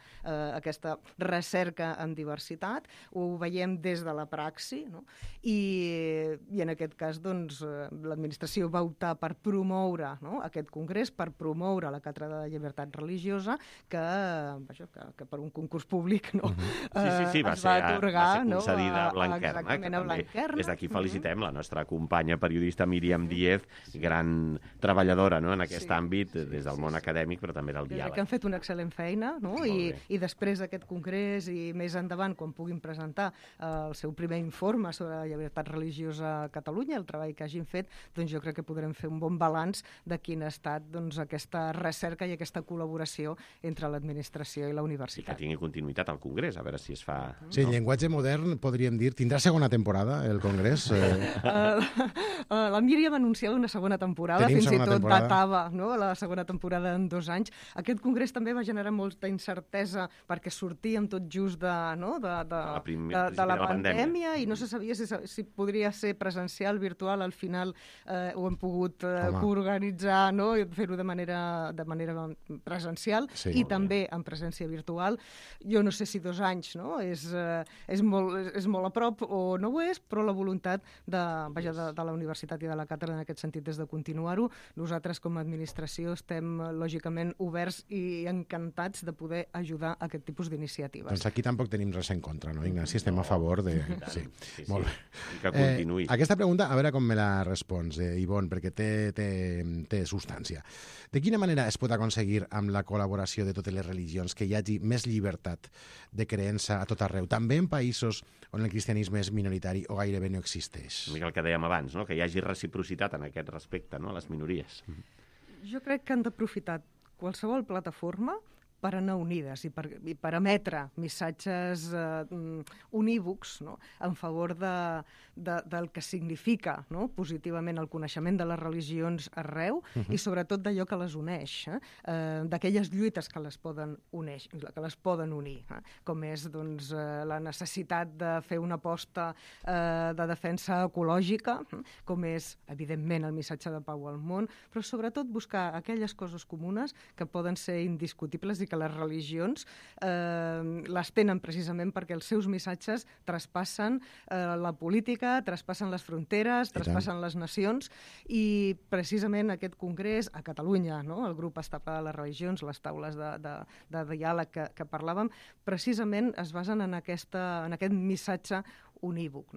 F: recerca en diversitat, ho veiem des de la praxi, no? I en aquest cas doncs, l'administració va optar per promoure, no? Aquest congrés, per promoure la Càtedra de Llibertat Religiosa, que per un concurs públic no?
E: Sí, va ser concedida a Blanquerna.
F: Exactament, a Blanquerna.
E: Des d'aquí felicitem la nostra companya periodista Míriam Díez, gran treballadora en aquest àmbit, des del món acadèmic, però també del diàleg.
F: Que han fet una excel·lent feina, no? I després d'aquest congrés i més endavant, quan puguin presentar el seu primer informe sobre la llibertat religiosa a Catalunya, el treball que hagin fet, doncs jo crec que podrem fer un bon balanç de quin ha estat doncs, aquesta recerca i aquesta col·laboració entre l'administració i la universitat.
E: I que tingui continuïtat al congrés, a veure si es fa...
B: Sí, en llenguatge modern podríem dir, tindrà segona temporada el congrés?
F: La Míriam anunciava una segona temporada, fins i tot datava la segona temporada en 2 anys. Aquest congrés també va generar molta incertesa perquè sortíem tot just de la pandèmia i no se sabia si podria ser presencial, virtual. Al final ho hem pogut coorganitzar i fer-ho de manera presencial i també en presència virtual. Jo no sé si 2 anys és molt a prop o no ho és, però la voluntat de la universitat i de la càtedra en aquest sentit és de continuar-ho. Nosaltres com a administració estem lògicament oberts i encantats de poder ajudar a aquest tipus d'iniciatives.
B: Doncs aquí tampoc tenim res en contra, no, Ignasi? Estem a favor de... Sí, molt bé.
E: I que continuï.
B: Aquesta pregunta, a veure com me la respons, Ivonne, perquè té substància. De quina manera es pot aconseguir amb la col·laboració de totes les religions que hi hagi més llibertat de creença a tot arreu, també en països on el cristianisme és minoritari o gairebé no existeix?
E: Una mica el que dèiem abans, que hi hagi reciprocitat en aquest respecte, a les minories.
F: Jo crec que han d'aprofitar qualsevol plataforma per anar unides i per emetre missatges unívocs en favor del que significa positivament el coneixement de les religions arreu i sobretot d'allò que les uneix, d'aquelles lluites que les poden unir, com és la necessitat de fer una aposta de defensa ecològica, com és, evidentment, el missatge de pau al món, però sobretot buscar aquelles coses comunes que poden ser indiscutibles i que les religions les tenen precisament perquè els seus missatges traspassen la política, traspassen les fronteres, traspassen les nacions i precisament aquest congrés a Catalunya, el grup estable de les religions, les taules de diàleg que parlàvem, precisament es basen en aquest missatge unívoc.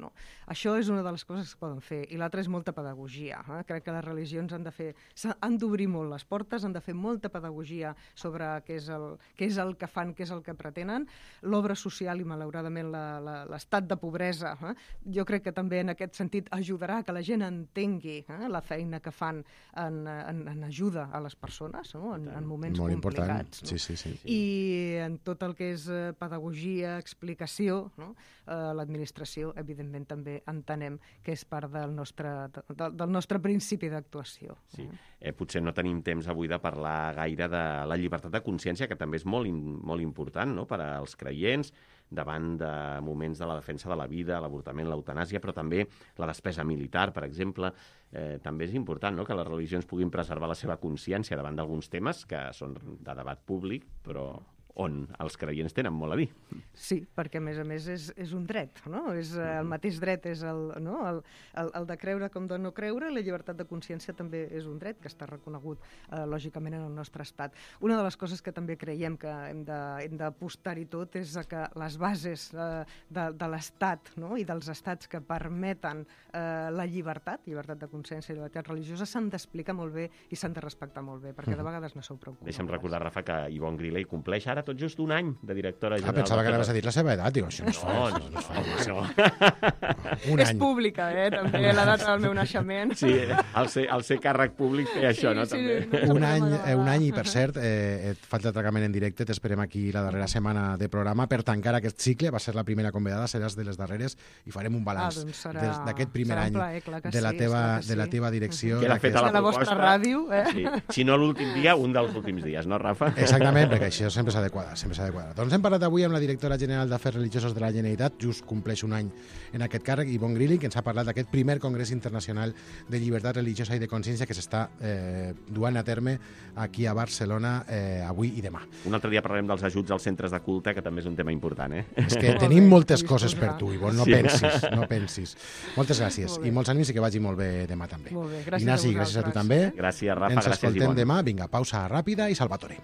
F: Això és una de les coses que es poden fer. I l'altra és molta pedagogia. Crec que les religions han d'obrir molt les portes, han de fer molta pedagogia sobre què és el que fan, què és el que pretenen. L'obra social i, malauradament, l'estat de pobresa, jo crec que també en aquest sentit ajudarà que la gent entengui la feina que fan en ajuda a les persones, en moments
B: molt
F: complicats.
B: Sí.
F: I en tot el que és pedagogia, explicació, l'administració evidentment també entenem que és part del nostre principi d'actuació.
E: Sí. Potser no tenim temps avui de parlar gaire de la llibertat de consciència, que també és molt important per als creients, davant de moments de la defensa de la vida, l'avortament, l'eutanàsia, però també la despesa militar, per exemple. També és important que les religions puguin preservar la seva consciència davant d'alguns temes que són de debat públic, però on els creients tenen molt a dir.
F: Sí, perquè a més és un dret, el mateix dret és el de creure com de no creure, i la llibertat de consciència també és un dret que està reconegut lògicament en el nostre estat. Una de les coses que també creiem que hem d'apostar-hi tot és que les bases de l'estat i dels estats que permeten la llibertat de consciència i llibertat religiosa s'han d'explicar molt bé i s'han de respectar molt bé, perquè de vegades no sou prou conegudes.
E: Deixa'm recordar, Rafa, que Ivonne Griley compleix ara tot just un any de directora general.
B: Pensava que anaves a dir la seva edat. Digo, això no és fals.
E: No.
F: És pública, també, la data del meu naixement.
E: Sí, al ser càrrec públic té això, no? També.
B: Un any, i per cert, et falta tractament en directe, t'esperem aquí la darrera setmana de programa per tancar aquest cicle. Va ser la primera convidada, seràs de les darreres i farem un balanç d'aquest primer any de la teva direcció.
E: Que l'ha fet a la
F: vostra ràdio.
E: Si no l'últim dia, un dels últims dies, no, Rafa?
B: Exactament, perquè això sempre s'ha de quadrar, sempre s'ha de quadrar. Doncs hem parlat avui amb la directora general d'Afers Religiosos de la Generalitat, just compleix un any en aquest càrrec, Ivonne Grilling, que ens ha parlat d'aquest primer Congrés Internacional de Llibertat Religiosa i de Consciència que s'està duant a terme aquí a Barcelona avui i demà.
E: Un altre dia parlarem dels ajuts als centres de culte, que també és un tema important,
B: És que tenim moltes coses per tu, Ivonne, no pensis. Moltes gràcies i molts ànims i que vagi molt bé demà també.
F: Molt bé, gràcies
B: Ignasi,
F: a
B: gràcies a tu
F: vosaltres.
B: també.
E: Gràcies, Rafa,
B: Ens
E: gràcies,
B: escoltem
E: Ivonne.
B: demà. Vinga, pausa ràpida i Salvatore.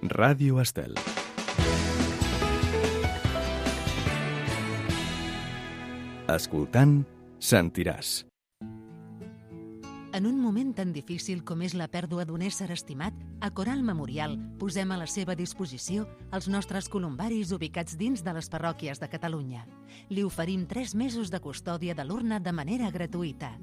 A: Ràdio Estel. Escoltant, sentiràs.
C: En un moment tan difícil com és la pèrdua d'un ésser estimat, a Coral Memorial posem a la seva disposició els nostres columbaris ubicats dins de les parròquies de Catalunya. Li oferim 3 mesos de custòdia de l'urna de manera gratuïta.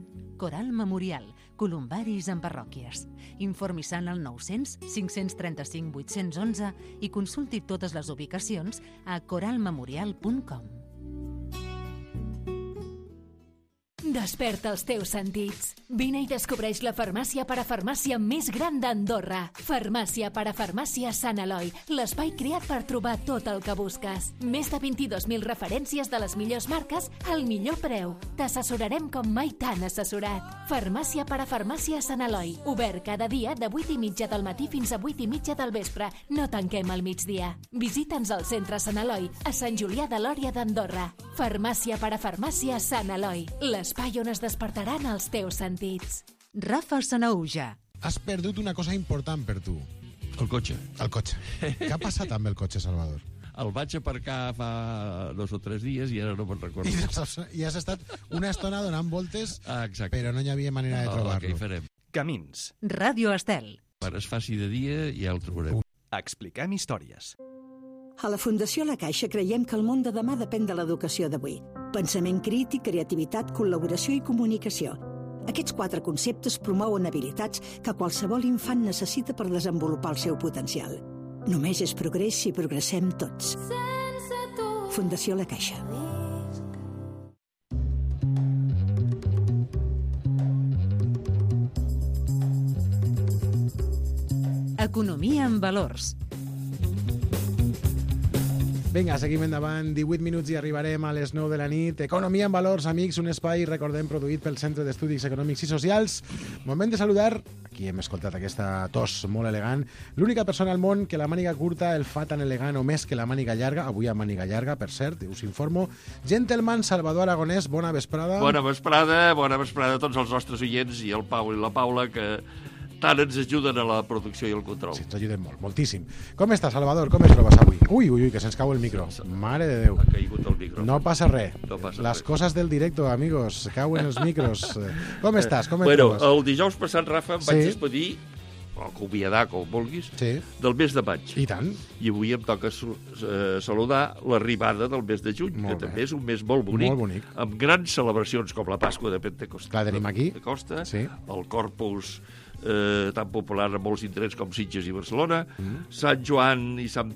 C: Coral Memorial, columbaris en parròquies. Informi-se'n al 900 535 811 i consulti totes les ubicacions a coralmemorial.com.
G: Desperta els teus sentits. Vine i descobreix la farmàcia parafarmàcia més gran d'Andorra. Farmàcia parafarmàcia Sant Eloi, l'espai creat per trobar tot el que busques. Més de 22.000 referències de les millors marques al millor preu. T'assessorarem com mai t'han assessorat. Farmàcia parafarmàcia Sant Eloi, obert cada dia de 8:30 del matí fins a 8:30 del vespre. No tanquem al migdia. Visita'ns al centre Sant Eloi, a Sant Julià de Lòria d'Andorra. Farmàcia parafarmàcia Sant Eloi, l'espai on es despertaran els teus sentits.
C: Rafa Sanauja.
B: Has perdut una cosa important per tu.
H: El cotxe.
B: El cotxe. Què ha passat amb el cotxe, Salvador?
H: El vaig aparcar fa 2 o 3 dies i ara no me'n recordo.
B: I has estat una estona donant voltes,
H: Exacte.
B: però no hi havia manera de
H: Què hi
B: trobar-lo.
H: farem?
A: Camins.
C: Ràdio Estel.
H: Quan es faci de dia ja el trobarem.
A: Expliquem històries.
I: A la Fundació La Caixa creiem que el món de demà depèn de l'educació d'avui. Pensament crític, creativitat, col·laboració i comunicació. Aquests 4 conceptes promouen habilitats que qualsevol infant necessita per desenvolupar el seu potencial. Només és progrés si progressem tots. Fundació La Caixa.
C: Economia en valors.
B: Vinga, seguim endavant, 18 minuts i arribarem a les 9 de la nit. Economia en valors, amics, un espai, recordem, produït pel Centre d'Estudis Econòmics i Socials. Moment de saludar, aquí hem escoltat aquesta tos molt elegant, l'única persona al món que la màniga curta el fa tan elegant o més que la màniga llarga, avui amb màniga llarga, per cert, us informo. Gentleman Salvador Aragonès, bona vesprada.
H: Bona vesprada a tots els nostres oients i el Pau i la Paula, que tant ens ajuden a la producció i el control.
B: Sí, ens ajuden molt, moltíssim. Com està, Salvador? Com es trobes avui? Ui, que se'ns cau el micro. Mare de Déu.
H: Ha caigut el micro.
B: No passa res.
H: No passa
B: Les
H: res.
B: coses del directo, amigos. Cauen els micros. Com estàs? Com et
H: Bueno,
B: trobes?
H: el dijous passat, Rafa, em vaig
B: Sí.
H: despedir, o acomiadar, com vulguis,
B: Sí,
H: del mes de maig.
B: i tant.
H: I avui em toca saludar l'arribada del mes de juny,
B: Molt
H: que
B: bé.
H: també és un mes molt bonic,
B: Molt bonic.
H: amb grans celebracions com la Pasqua de Pentecosta.
B: La tenim aquí.
H: Pentecosta,
B: Sí.
H: el Corpus tan popular en molts indrets com Sitges i Barcelona, Sant Joan i Sant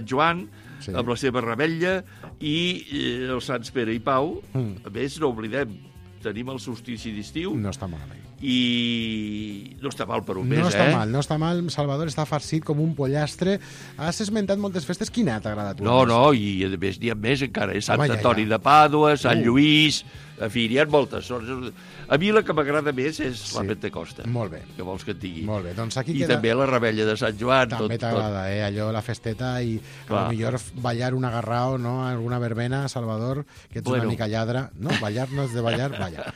H: Joan,
B: Sí.
H: amb la seva rebella, i els Sants Pere i Pau. A més, no oblidem, tenim el solstici d'estiu,
B: No està malament.
H: i no està mal per un mes,
B: No està mal, no està mal. Salvador està farcit com un pollastre. Has esmentat moltes festes. Quina t'agrada a tu?
H: No, i a més n'hi ha més encara. Sant
B: Home, ja,
H: Antoni
B: ja.
H: de Pàdua, Sant Lluís... En fi, n'hi ha moltes. A mi la que m'agrada més és la
B: Sí.
H: Pentecosta.
B: Molt bé.
H: Que vols que et digui?
B: Molt bé, doncs aquí
H: I
B: queda...
H: també la rebella de Sant Joan.
B: També t'agrada, allò, la festeta i
H: Clar.
B: a lo millor ballar un agarrao, no?, alguna verbena, Salvador, que ets una mica lladra. No, ballar no és de ballar, balla.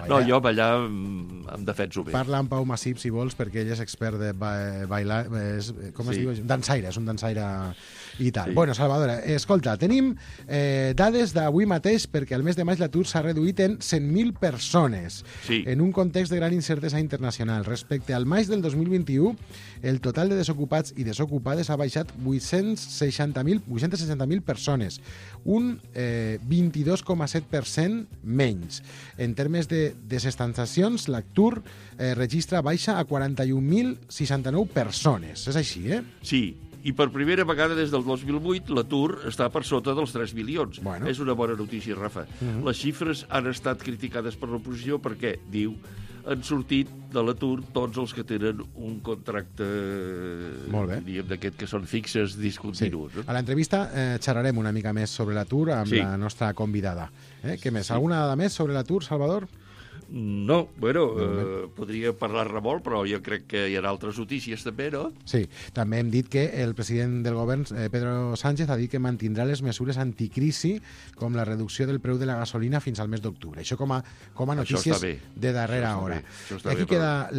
H: No, jo ballar em defenso bé.
B: Parla amb Pau Massip, si vols, perquè ell és expert de bailar... Com es
H: Sí.
B: diu? Dansaire, és un dansaire i tal.
H: Sí.
B: Bueno, Salvador, escolta, tenim dades d'avui mateix perquè al mes de maig l'atur s'ha reduït en 100.000 persones
H: Sí.
B: en un context de gran incertesa internacional. Respecte al maig del 2021, el total de desocupats i desocupades ha baixat 860.000 persones, un 22,7% menys. En termes de desestanciacions, l'atur registra baixa a 41.069 persones. És així, eh?
H: Sí, I per primera vegada des del 2008 l'atur està per sota dels 3 milions.
B: Bueno.
H: És una bona notícia, Rafa. Les xifres han estat criticades per l'oposició perquè, diu, han sortit de l'atur tots els que tenen un contracte, diríem, d'aquest que són fixes discontinus.
B: Sí. A l'entrevista xerrarem una mica més sobre l'atur amb la nostra convidada. Què més? Alguna dada més sobre l'atur, Salvador?
H: No, bueno, podria parlar-ne molt, però jo crec que hi ha altres notícies també, no?
B: Sí, també hem dit que el president del govern, Pedro Sánchez, ha dit que mantindrà les mesures anticrisi com la reducció del preu de la gasolina fins al mes d'octubre. Això com a notícies de darrera hora.
H: Això està bé,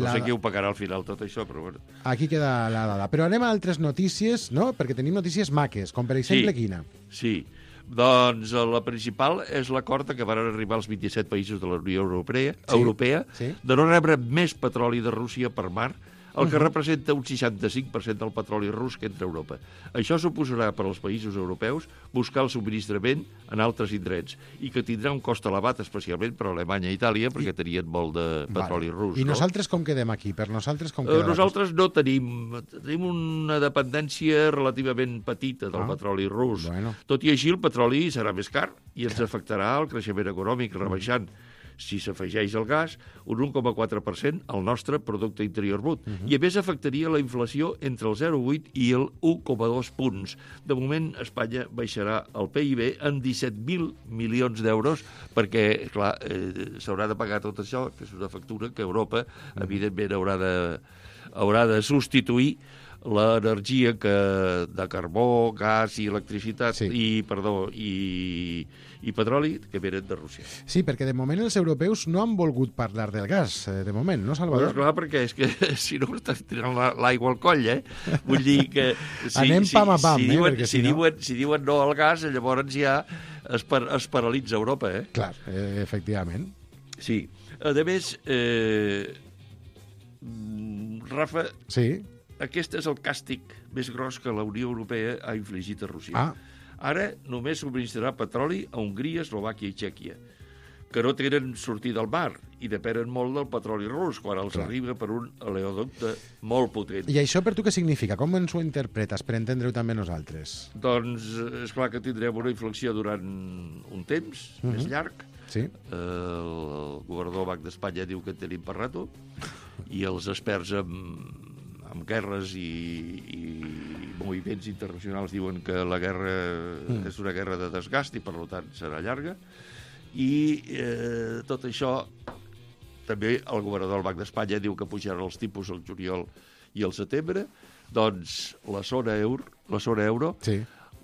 H: no sé qui ho pagarà al final tot això, però bueno.
B: Aquí queda la dada. Però anem a altres notícies, no? Perquè tenim notícies maques, com per exemple quina?
H: Sí. Doncs la principal és l'acord a què van arribar els 27 països de la Unió Europea de no rebre més petroli de Rússia per mar, el que representa un 65% del petroli rus que entra a Europa. Això suposarà per als països europeus buscar el subministrament en altres indrets i que tindrà un cost elevat, especialment per Alemanya i Itàlia, perquè tenien molt de petroli rus.
B: I nosaltres com quedem aquí? Per nosaltres com queda?
H: Nosaltres no tenim una dependència relativament petita del petroli rus. Tot i així, el petroli serà més car i ens afectarà el creixement econòmic, rebaixant, si s'afegeix el gas, un 1,4% al nostre producte interior brut. I a més afectaria la inflació entre el 0,8 i el 1,2 punts. De moment, Espanya baixarà el PIB en 17.000 milions d'euros perquè, clar, s'haurà de pagar tot això, que és una factura que Europa, evidentment, haurà de substituir l'energia de carbó, gas i electricitat i petroli que venen de Rússia.
B: Sí, perquè de moment els europeus no han volgut parlar del gas, de moment, no, Salvador?
H: Doncs clar, perquè és que si no estan tirant l'aigua al coll, Vull dir que...
B: Anem pam a pam,
H: si diuen no al gas, llavors ja es paralitza Europa,
B: Clar, efectivament.
H: Sí. A més, Rafa...
B: Sí.
H: Aquest és el càstig més gros que la Unió Europea ha infligit a Rússia. Ara només subministrarà petroli a Hongria, Eslovàquia i Txèquia, que no tenen sortida al mar i depenen molt del petroli rus, quan els arriba per un oleoducte molt potent.
B: I això per tu què significa? Com ens ho interpretes, per entendre-ho també nosaltres?
H: Doncs és clar que tindrem una inflexió durant un temps més llarg.
B: Sí.
H: El governador del Banc d'Espanya diu que en tenim per rato, i els experts amb guerres i moviments internacionals diuen que la guerra és una guerra de desgast i per tant serà llarga, i tot això també el governador del Banc d'Espanya diu que pujaran els tipus al juliol i al setembre. Doncs la zona euro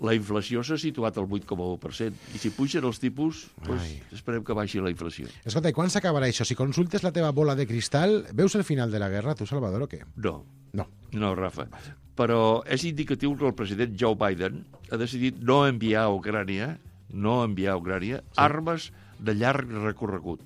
H: la inflació s'ha situat al 8,1%, i si pugen els tipus, esperem que baixi la inflació.
B: Escolta, i quan s'acabarà això? Si consultes la teva bola de cristal, veus el final de la guerra, tu, Salvador, o què?
H: No, Rafa. Però és indicatiu que el president Joe Biden ha decidit no enviar a Ucrània armes de llarg recorregut.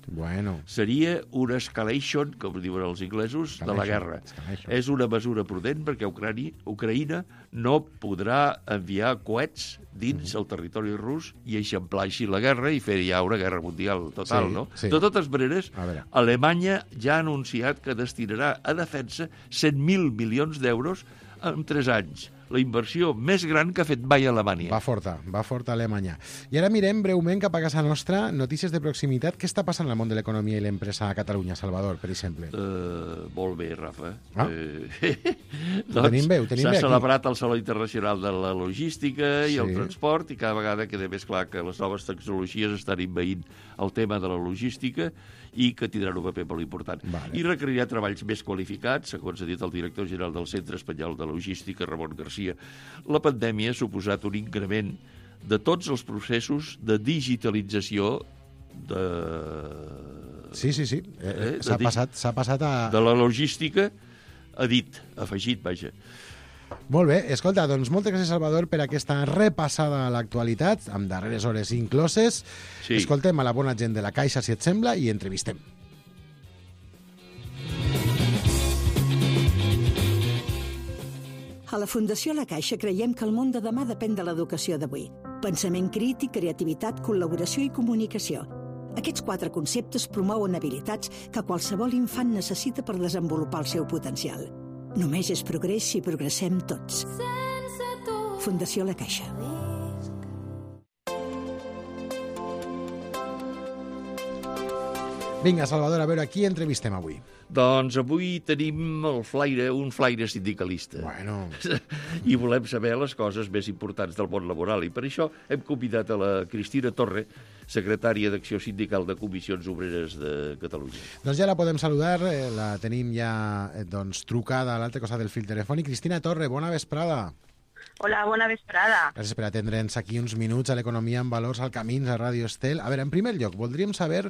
H: Seria una escalation, com diuen els inglesos, de la guerra. És una mesura prudent perquè Ucraïna no podrà enviar coets dins el territori rus i eixamplar així la guerra i fer ja una guerra mundial total, no? De totes maneres, Alemanya ja ha anunciat que destinarà a defensa 100.000 milions d'euros en 3 anys. La inversió més gran que ha fet mai Alemanya.
B: Va forta Alemanya. I ara mirem breument cap a casa nostra, notícies de proximitat. Què està passant al món de l'economia i l'empresa a Catalunya, Salvador, per exemple?
H: Molt bé, Rafa.
B: Tenim bé
H: s'ha celebrat el Saló Internacional de la Logística i el Transport, i cada vegada queda més clar que les noves tecnologies estan envaint el tema de la logística i que tindran un paper molt important. I requerirà treballs més qualificats, segons ha dit el director general del Centre Espanyol de Logística, Ramon Garcia. La pandèmia ha suposat un increment de tots els processos de digitalització de...
B: Sí. S'ha passat a...
H: De la logística, afegit, vaja.
B: Molt bé, escolta, doncs moltes gràcies, Salvador, per aquesta repassada a l'actualitat, amb darreres hores incloses. Escoltem a la bona gent de la Caixa, si et sembla, i entrevistem.
I: A la Fundació La Caixa creiem que el món de demà depèn de l'educació d'avui. Pensament crític, creativitat, col·laboració i comunicació. Aquests 4 conceptes promouen habilitats que qualsevol infant necessita per desenvolupar el seu potencial. Només és progrés si progressem tots.
J: Sense
I: Fundació La Caixa.
B: Vinga, Salvador, a veure, qui entrevistem avui?
H: Doncs avui tenim un flaire sindicalista.
B: Bueno.
H: I volem saber les coses més importants del món laboral. I per això hem convidat a la Cristina Torre, secretària d'Acció Sindical de Comissions Obreres de Catalunya.
B: Doncs ja la podem saludar, la tenim ja trucada a l'altre costat del fil telefònic. Cristina Torre, bona vesprada.
J: Hola, bona vesprada.
B: Gràcies per atendre'ns aquí uns minuts a l'Economia en Valors al Camins, a Ràdio Estel. A veure, en primer lloc, voldríem saber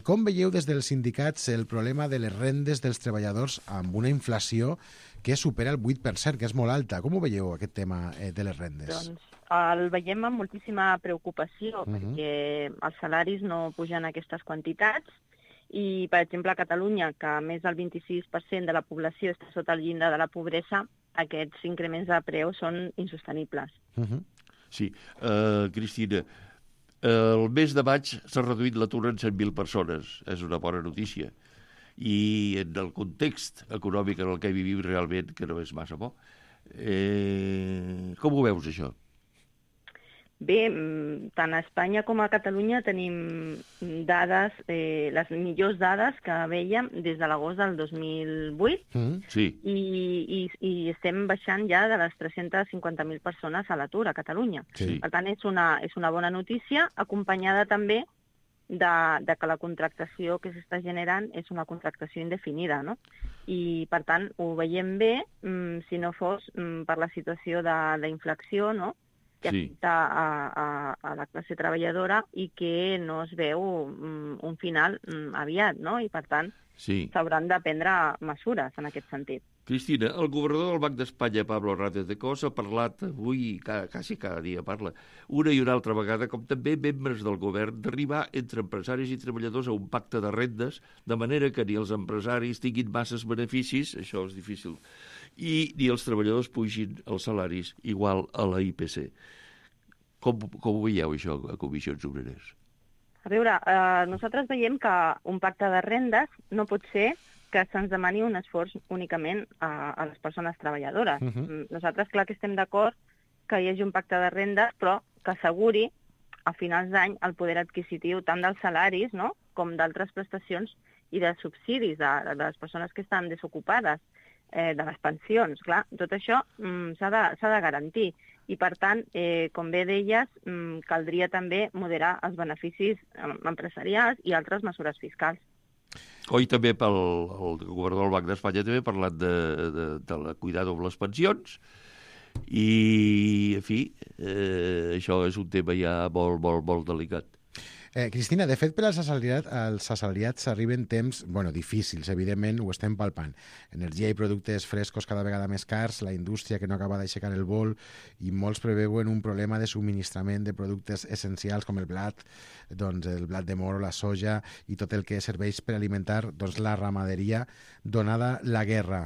B: com veieu des dels sindicats el problema de les rendes dels treballadors amb una inflació que supera el 8%, que és molt alta. Com ho veieu, aquest tema de les rendes?
J: Doncs el veiem amb moltíssima preocupació, perquè els salaris no pugen aquestes quantitats i, per exemple, a Catalunya, que més del 26% de la població està sota el llindar de la pobresa, aquests increments de preus són insostenibles.
H: Sí, Cristina, el mes de maig s'ha reduït l'atur en 100.000 persones. És una bona notícia. I en el context econòmic en el que vivim realment, que no és massa bo, com ho veus, això?
J: Bé, tant a Espanya com a Catalunya tenim dades, les millors dades que veiem des de l'agost del 2008
H: sí.
J: i estem baixant ja de les 350.000 persones a l'atur a Catalunya.
H: Sí.
J: Per tant, és una bona notícia, acompanyada també de que la contractació que s'està generant és una contractació indefinida, no? I, per tant, ho veiem bé, si no fos per la situació d'inflació, no?, que afecta a la classe treballadora i que no es veu un final aviat, no? I, per tant, s'hauran de prendre mesures en aquest sentit.
H: Cristina, el governador del Banc d'Espanya, Pablo Hernández de Cos, ha parlat avui, quasi cada dia parla, una i una altra vegada, com també membres del govern, d'arribar entre empresaris i treballadors a un pacte de rendes, de manera que ni els empresaris tinguin masses beneficis, això és difícil, i ni els treballadors pugin els salaris igual a la IPC. Com ho veieu, això, a Comissions Obreres?
J: A veure, nosaltres veiem que un pacte de rendes no pot ser que se'ns demani un esforç únicament a les persones treballadores. Nosaltres, clar que estem d'acord que hi hagi un pacte de rendes, però que asseguri a finals d'any el poder adquisitiu tant dels salaris, no?, com d'altres prestacions i dels subsidis de les persones que estan desocupades, de les pensions. Clar, tot això s'ha de garantir. I, per tant, com bé deies, caldria també moderar els beneficis empresarials i altres mesures fiscals.
H: Oi, també el governador del Banc d'Espanya també ha parlat de cuidar amb les pensions i, en fi, això és un tema ja molt, molt, molt delicat.
B: Cristina, de fet, per als assalariats arriben temps difícils, evidentment, ho estem palpant. Energia i productes frescos cada vegada més cars, la indústria que no acaba d'aixecar el vol i molts preveuen un problema de subministrament de productes essencials com el blat de moro, la soja i tot el que serveix per alimentar la ramaderia donada la guerra.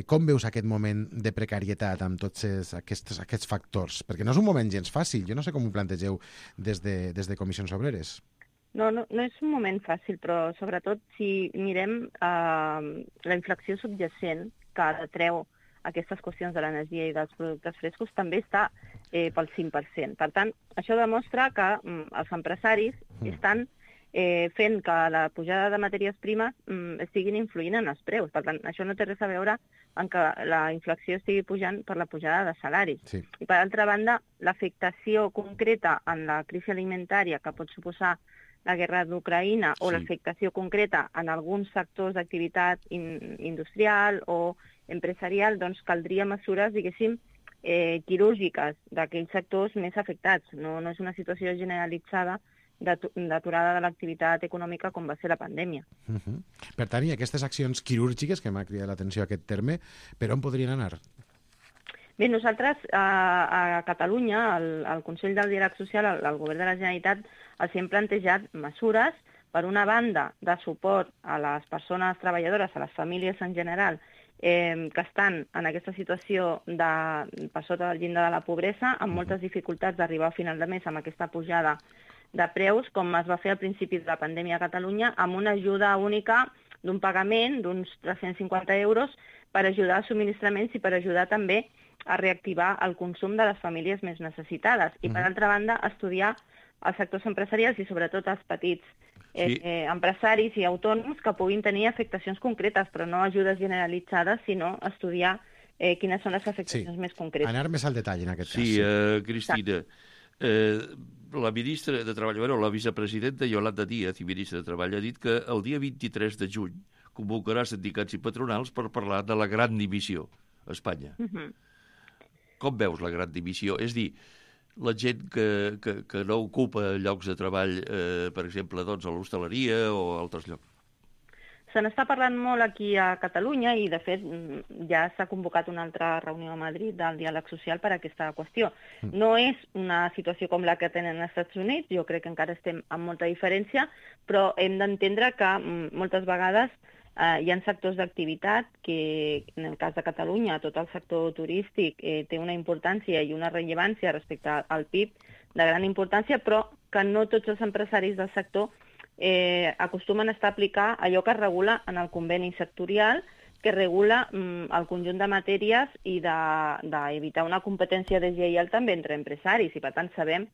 B: Com veus aquest moment de precarietat amb tots aquests factors? Perquè no és un moment gens fàcil. Jo no sé com ho plantegeu des de Comissions Obreres.
J: No és un moment fàcil, però sobretot si mirem la inflació subjacent que detreu aquestes qüestions de l'energia i dels productes frescos també està pel 5%. Per tant, això demostra que els empresaris estan fent que la pujada de matèries primes estiguin influint en els preus. Per tant, això no té res a veure amb que la inflació estigui pujant per la pujada de salaris.
B: Sí.
J: I, per altra banda, l'afectació concreta en la crisi alimentària que pot suposar la guerra d'Ucraïna o l'afectació concreta en alguns sectors d'activitat industrial o empresarial, doncs caldria mesures, diguéssim, quirúrgiques d'aquells sectors més afectats. No és una situació generalitzada d'aturada de l'activitat econòmica com va ser la pandèmia.
B: Per tant, i aquestes accions quirúrgiques, que m'ha cridat l'atenció aquest terme, per on podrien anar?
J: Bé, nosaltres a Catalunya, al Consell del Diàleg Social, al Govern de la Generalitat, els hem plantejat mesures, per una banda, de suport a les persones treballadores, a les famílies en general, que estan en aquesta situació per sota del llindar de la pobresa, amb moltes dificultats d'arribar a final de mes amb aquesta pujada de preus, com es va fer al principi de la pandèmia a Catalunya, amb una ajuda única d'un pagament d'uns 350 euros per ajudar als subministraments i per ajudar també a reactivar el consum de les famílies més necessitades. I, per altra banda, estudiar els sectors empresarials i, sobretot, els petits empresaris i autònoms que puguin tenir afectacions concretes, però no ajudes generalitzades, sinó estudiar quines són les afectacions més concretes.
B: Anar més al detall en aquest cas.
H: Sí, Cristina, la ministra de Treball, la vicepresidenta Yolanda Díaz, i ministra de Treball, ha dit que el dia 23 de juny convocarà sindicats i patronals per parlar de la gran dimissió a Espanya. Com veus la gran dimissió? És dir, la gent que no ocupa llocs de treball, per exemple, doncs, a l'hostaleria o a altres llocs.
J: Se n'està parlant molt aquí a Catalunya i, de fet, ja s'ha convocat una altra reunió a Madrid del diàleg social per a aquesta qüestió. No és una situació com la que tenen als Estats Units, jo crec que encara estem amb molta diferència, però hem d'entendre que moltes vegades hi ha sectors d'activitat que, en el cas de Catalunya, tot el sector turístic té una importància i una rellevància respecte al PIB de gran importància, però que no tots els empresaris del sector acostumen a aplicar allò que es regula en el conveni sectorial, que regula el conjunt de matèries i d'evitar una competència deslleial també entre empresaris. I, per tant, sabem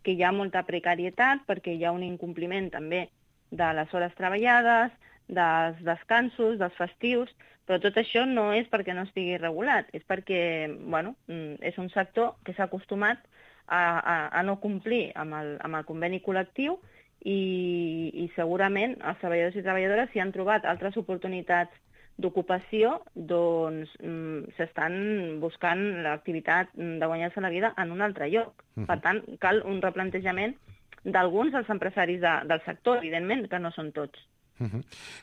J: que hi ha molta precarietat perquè hi ha un incompliment també de les hores treballades, dels descansos, dels festius, però tot això no és perquè no estigui regulat, és perquè és un sector que s'ha acostumat a no complir amb el conveni col·lectiu i segurament els treballadors i treballadores, si han trobat altres oportunitats d'ocupació, doncs s'estan buscant l'activitat de guanyar-se la vida en un altre lloc. Per tant, cal un replantejament d'alguns dels empresaris del sector, evidentment, que no són tots.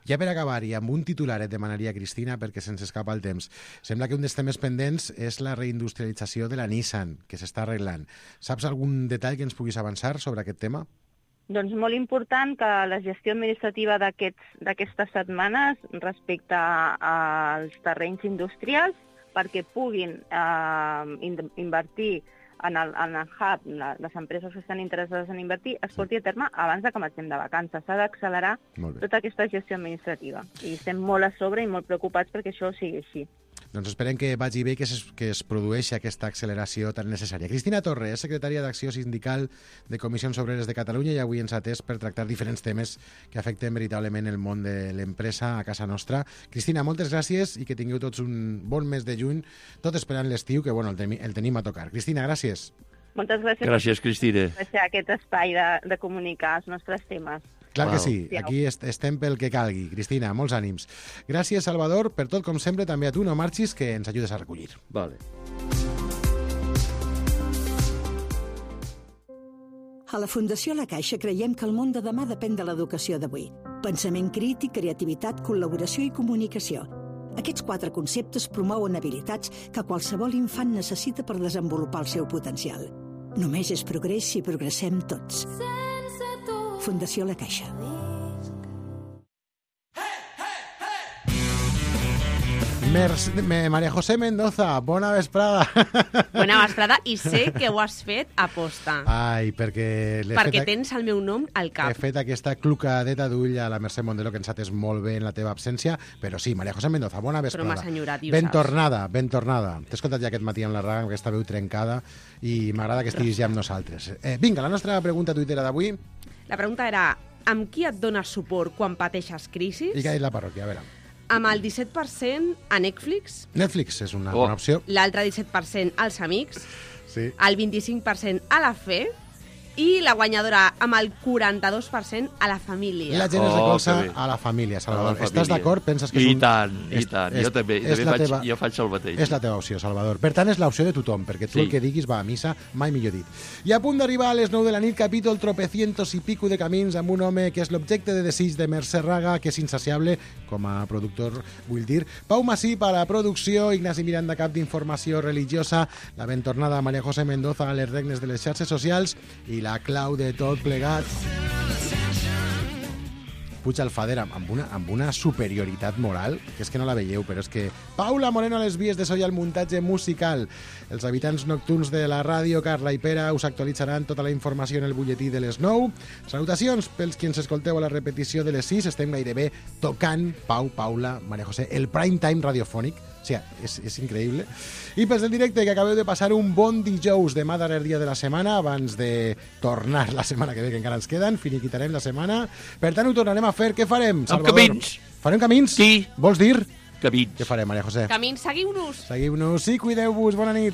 B: Ja per acabar, i amb un titular et demanaria, Cristina, perquè se'ns escapa el temps. Sembla que un dels temes pendents és la reindustrialització de la Nissan, que s'està arreglant. Saps algun detall que ens puguis avançar sobre aquest tema?
J: Doncs molt important que la gestió administrativa d'aquestes setmanes respecte als terrenys industrials, perquè puguin invertir en el hub, les empreses que estan interessades en invertir, es porti a terme abans que marxem de vacances. S'ha d'accelerar tota aquesta gestió administrativa. I estem molt a sobre i molt preocupats perquè això sigui així.
B: Doncs esperem que vagi bé, que es produeixi aquesta acceleració tan necessària. Cristina Torre és secretària d'Acció Sindical de Comissions Obreres de Catalunya i avui ens ha atès per tractar diferents temes que afecten veritablement el món de l'empresa a casa nostra. Cristina, moltes gràcies i que tingueu tots un bon mes de juny, tot esperant l'estiu, que el tenim a tocar. Cristina, gràcies.
J: Moltes gràcies.
H: Gràcies, Cristina.
J: Per aquest espai de comunicar els nostres temes.
B: Clar que sí, aquí estem pel que calgui. Cristina, molts ànims. Gràcies, Salvador, per tot, com sempre, també a tu, no marxis, que ens ajudes a recollir.
H: Vale.
I: A la Fundació La Caixa creiem que el món de demà depèn de l'educació d'avui. Pensament crític, creativitat, col·laboració i comunicació. Aquests 4 conceptes promouen habilitats que qualsevol infant necessita per desenvolupar el seu potencial. Només és progrés si progressem tots. Fundació La Caixa.
B: María José Mendoza, bona vesprada.
K: Bona vesprada, i sé que ho has fet a posta.
B: Ai, perquè
K: tens el meu nom al cap.
B: He fet aquesta clucadeta d'ull a la Mercè Mondelo, que ens ha atès molt bé en la teva absència, però sí, María José Mendoza, bona vesprada.
K: Però m'has enyorat, i ho
B: ben
K: saps.
B: Ben tornada. T'he escoltat ja aquest matí amb la ràdio, amb aquesta veu trencada, i m'agrada que estiguis ja amb nosaltres. Vinga, la nostra pregunta tuitera d'avui.
K: La pregunta era, amb qui et dones suport quan pateixes crisis?
B: I què ha dit la parròquia? A veure.
K: Amb el 17% a Netflix.
B: Netflix és una bona opció.
K: L'altre 17% als amics.
B: Sí.
K: El 25% a la fe. I la guanyadora amb el 42% a la família.
B: I la gent es recolza a la família, Salvador. Estàs d'acord? Penses que és
H: I tant. Jo també faig el mateix.
B: És la teva opció, Salvador. Per tant, és l'opció de tothom, perquè tu el que diguis va a missa, mai millor dit. I a punt d'arribar a les 9 de la nit, capítol tropecientos i pico de camins amb un home que és l'objecte de desig de Mercè Raga, que és insaciable com a productor, vull dir. Pau Masip a la producció, Ignasi Miranda, cap d'informació religiosa, la ben tornada María José Mendoza a les regnes de les xarxes socials i la clau de tot plegat. Puig Alfader amb una superioritat moral, que és que no la veieu, però és que Paula Moreno a les vies de so i al muntatge musical. Els habitants nocturns de la ràdio, Carla i Pere, us actualitzaran tota la informació en el butlletí de les 9. Salutacions pels qui ens escolteu a la repetició de les 6. Estem gairebé tocant, Pau, Paula, Maria José, el prime time radiofònic. sigui, és increïble. I pels del directe, que acabeu de passar un bon dijous, demà darrer dia de la setmana, abans de tornar la setmana que ve, que encara ens queden, finiquitarem la setmana. Per tant, ho tornarem a fer. Què farem, Salvador?
H: Amb camins.
B: Farem camins?
H: Sí.
B: Vols dir?
H: Camins.
B: Què farem, Maria José?
K: Camins, seguiu-nos.
B: Seguiu-nos i cuideu-vos. Bona nit.